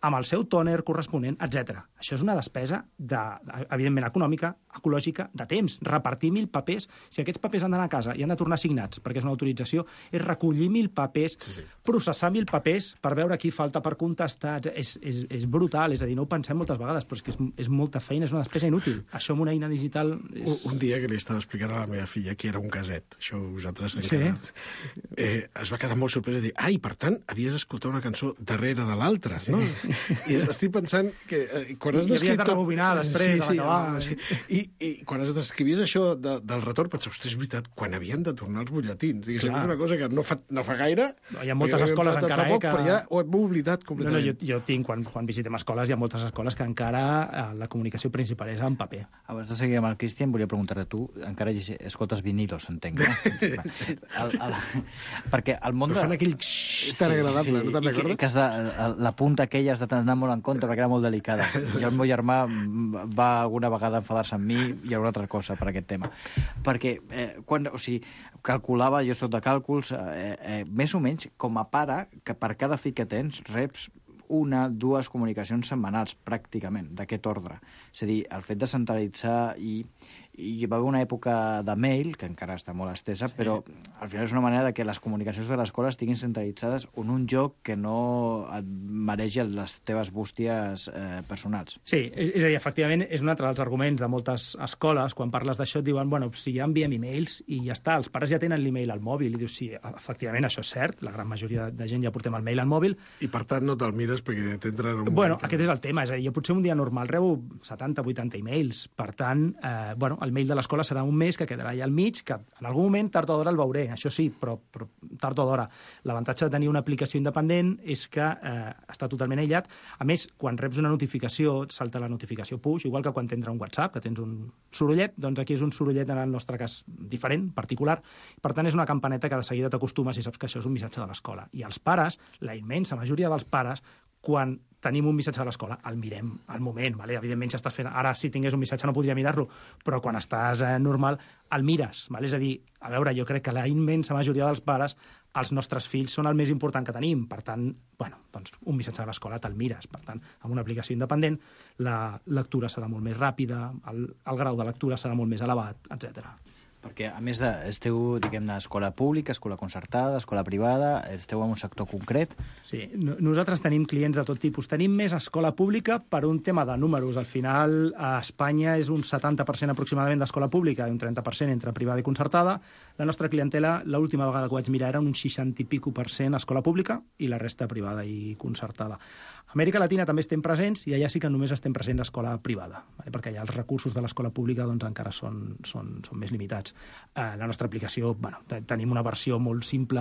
amb el seu tòner corresponent, etc. Això és una despesa, evidentment, econòmica, ecològica, de temps. Repartir 1.000 papers, si aquests papers han d'anar a casa i han de tornar signats, perquè és una autorització, és recollir 1.000 papers, processar 1.000 papers per veure qui falta per contestar. És brutal, és a dir, no ho pensem moltes vegades, però és que és molta feina, és una despesa inútil. Això amb una eina digital... Un dia que li estava explicant a la meva filla que era un caset, això vosaltres encara... Es va quedar molt sorpresa i dir, per tant, havies d'escoltar una cançó darrere de l'altra, no? I estic pensant que quan has descrit... I havies de rebobinar després, a l'acabar. I quan escrivies això del retorn, pensava, ostres, és veritat, quan havien de tornar els butlletins. Diguéssim, és una cosa que no fa gaire. Hi ha moltes escoles encara, que... Però ja ho hem oblidat completament. Jo tinc, quan visitem escoles, hi ha moltes escoles que encara la comunicació principal és en paper. Abans de seguir amb el Cristian, volia preguntar-te, tu encara escoltes vinilos, entenc, no? Perquè el món de... Però fan aquell tan agradable, no te'n recordes? La punta aquella has de anar molt en compte perquè era molt delicada. Jo el meu germà va alguna vegada enfadar-se amb mi i alguna altra cosa per aquest tema. Perquè, calculava, jo soc de càlculs, més o menys, com a pare, que per cada fill que tens reps 1-2 comunicacions setmanals, pràcticament, d'aquest ordre. És a dir, el fet de centralitzar i hi va haver una època de mail, que encara està molt estesa, però al final és una manera de que les comunicacions de l'escola estiguin centralitzades en un lloc que no et mereix les teves bústies personals. Sí, és a dir, efectivament, és un altre dels arguments de moltes escoles, quan parles d'això et diuen, bueno, si ja enviem e-mails i ja està, els pares ja tenen l'e-mail al mòbil, i dius, sí, efectivament, això és cert, la gran majoria de gent ja portem el mail al mòbil. I per tant no te'l mires perquè t'entra en un... Bueno, aquest és el tema, és a dir, jo potser un dia normal rebo 70-80 e-mails, per tant, el mail de l'escola serà un mes que quedarà allà al mig, que en algun moment, tard o d'hora, el veuré, això sí, però tard o d'hora. L'avantatge de tenir una aplicació independent és que està totalment aïllat. A més, quan reps una notificació, salta la notificació push, igual que quan t'entra un WhatsApp, que tens un sorollet, doncs aquí és un sorollet, en el nostre cas, diferent, particular. Per tant, és una campaneta que de seguida t'acostumes i saps que això és un missatge de l'escola. I els pares, la immensa majoria dels pares, quan tenim un missatge de l'escola, el mirem al moment, vale? Evidentment, si estàs fent... Ara, si tingués un missatge, no podria mirar-lo, però quan estàs normal, el mires, vale? És a dir, a veure, jo crec que la immensa majoria dels pares, els nostres fills són el més important que tenim, per tant, bueno, doncs un missatge de l'escola te'l mires, per tant, amb una aplicació independent, la lectura serà molt més ràpida, el grau de lectura serà molt més elevat, etc. Perquè, a més, esteu, diguem-ne, escola pública, escola concertada, escola privada, esteu en un sector concret? Sí, nosaltres tenim clients de tot tipus. Tenim més escola pública per un tema de números. Al final, a Espanya és un 70% aproximadament d'escola pública i un 30% entre privada i concertada. La nostra clientela, l'última vegada que ho vaig mirar, era un 60 i pico % escola pública i la resta privada i concertada. A Amèrica Latina també estem presents i allà sí que només estem presents a escola privada, perquè allà els recursos de l'escola pública doncs, encara són més limitats. La nostra aplicació, tenim una versió molt simple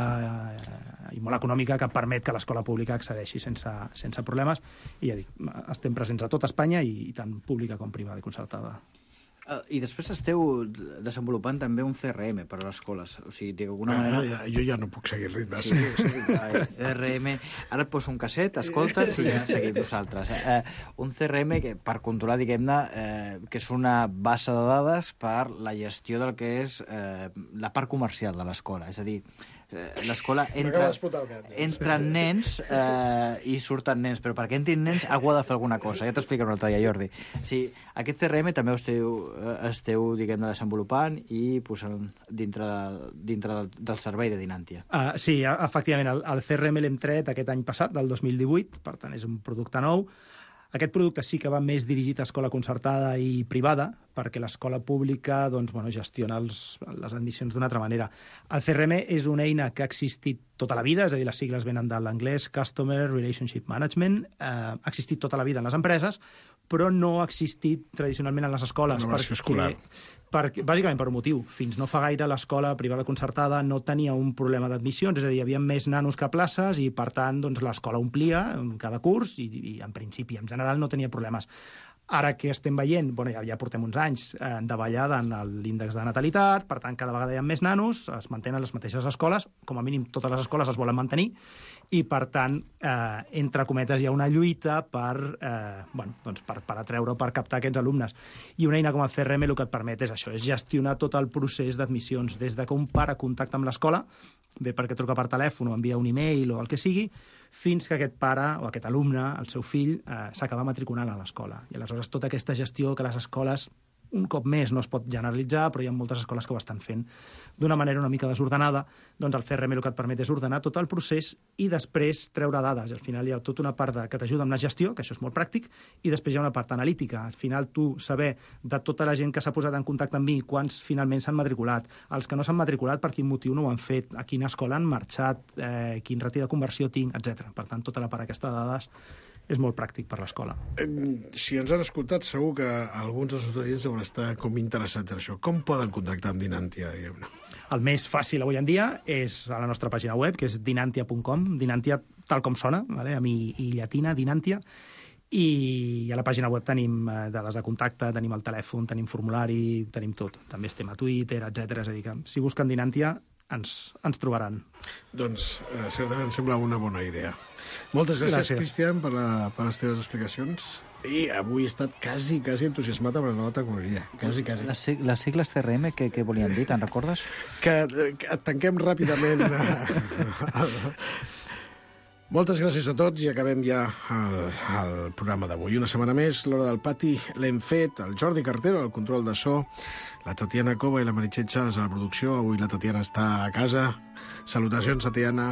i molt econòmica que permet que l'escola pública accedeixi sense problemes i ja dic, estem presents a tot Espanya i tant pública com privada i concertada. I després esteu desenvolupant també un CRM per a les escoles. O sigui, d'alguna manera... Jo ja no puc seguir el ritme. Sí, CRM... Ara et poso un casset, escoltes i ja seguim nosaltres. Un CRM que, per controlar, diguem-ne, que és una base de dades per la gestió del que és la part comercial de l'escola. És a dir, l'escola entren nens i surten nens, però perquè entrin nens algú ha de fer alguna cosa. Ja t'explicaré un altre dia, Jordi. Sí, aquest CRM també esteu diguem-ne, desenvolupant i posant dintre del servei de Dinantia. Sí, efectivament, el CRM l'hem tret aquest any passat, del 2018, per tant és un producte nou. Aquest producte sí que va més dirigit a escola concertada i privada, perquè l'escola pública gestiona les admissions d'una altra manera. El CRM és una eina que ha existit tota la vida, és a dir, les sigles venen de l'anglès Customer Relationship Management, ha existit tota la vida en les empreses, però no ha existit tradicionalment en les escoles. Una versió escolar. Bàsicament per un motiu. Fins no fa gaire l'escola privada concertada no tenia un problema d'admissions, és a dir, hi havia més nanos que places i, per tant, l'escola omplia cada curs i en principi, en general, no tenia problemes. Ara que estem veient, ja portem uns anys de davallada en l'índex de natalitat, per tant, cada vegada hi ha més nanos, es mantenen les mateixes escoles, com a mínim totes les escoles es volen mantenir, i, per tant, entre cometes, hi ha una lluita per atreure o per captar aquests alumnes. I una eina com el CRM el que et permet és això, és gestionar tot el procés d'admissions, des que un pare contacta amb l'escola, bé perquè truca per telèfon o envia un e-mail o el que sigui, fins que aquest pare o aquest alumne, el seu fill, s'acaba matriculant a l'escola. I aleshores tota aquesta gestió que les escoles un cop més no es pot generalitzar, però hi ha moltes escoles que ho estan fent d'una manera una mica desordenada, doncs el CRM el que et permet és ordenar tot el procés i després treure dades. Al final hi ha tota una part que t'ajuda amb la gestió, que això és molt pràctic, i després hi ha una part analítica. Al final tu saber de tota la gent que s'ha posat en contacte amb mi, quants finalment s'han matriculat, els que no s'han matriculat, per quin motiu no ho han fet, a quina escola han marxat, quin ratio de conversió tinc, etc. Per tant, tota la part aquesta de dades és molt pràctic per l'escola. Si ens han escoltat, segur que alguns dels estudiants deuen estar com interessats en això. Com poden contactar amb Dinantia, diguem-ne? El més fàcil avui en dia és a la nostra pàgina web, que és dinantia.com, Dinantia tal com sona, vale? Amb i llatina, Dinantia, i a la pàgina web tenim dades de contacte, tenim el telèfon, tenim formulari, tenim tot. També estem a Twitter, etc. És a dir, que si busquen Dinantia ens trobaran. Doncs certament em sembla una bona idea. Moltes gràcies. Cristian, per les teves explicacions. I avui he estat quasi entusiasmat amb la nova tecnologia. Quasi. Les sigles CRM, què volien dir? Te'n recordes? Que tanquem ràpidament. Moltes gràcies a tots i acabem ja el programa d'avui. Una setmana més, l'Hora del Pati l'hem fet, el Jordi Cartero, al control de so, la Tatiana Cova i la Meritxell Chávez a la producció. Avui la Tatiana està a casa. Salutacions, Tatiana.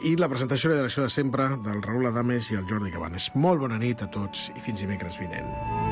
I la presentació i la direcció de sempre del Raül Adames i el Jordi Cabanes. Molt bona nit a tots i fins dimecres vinent.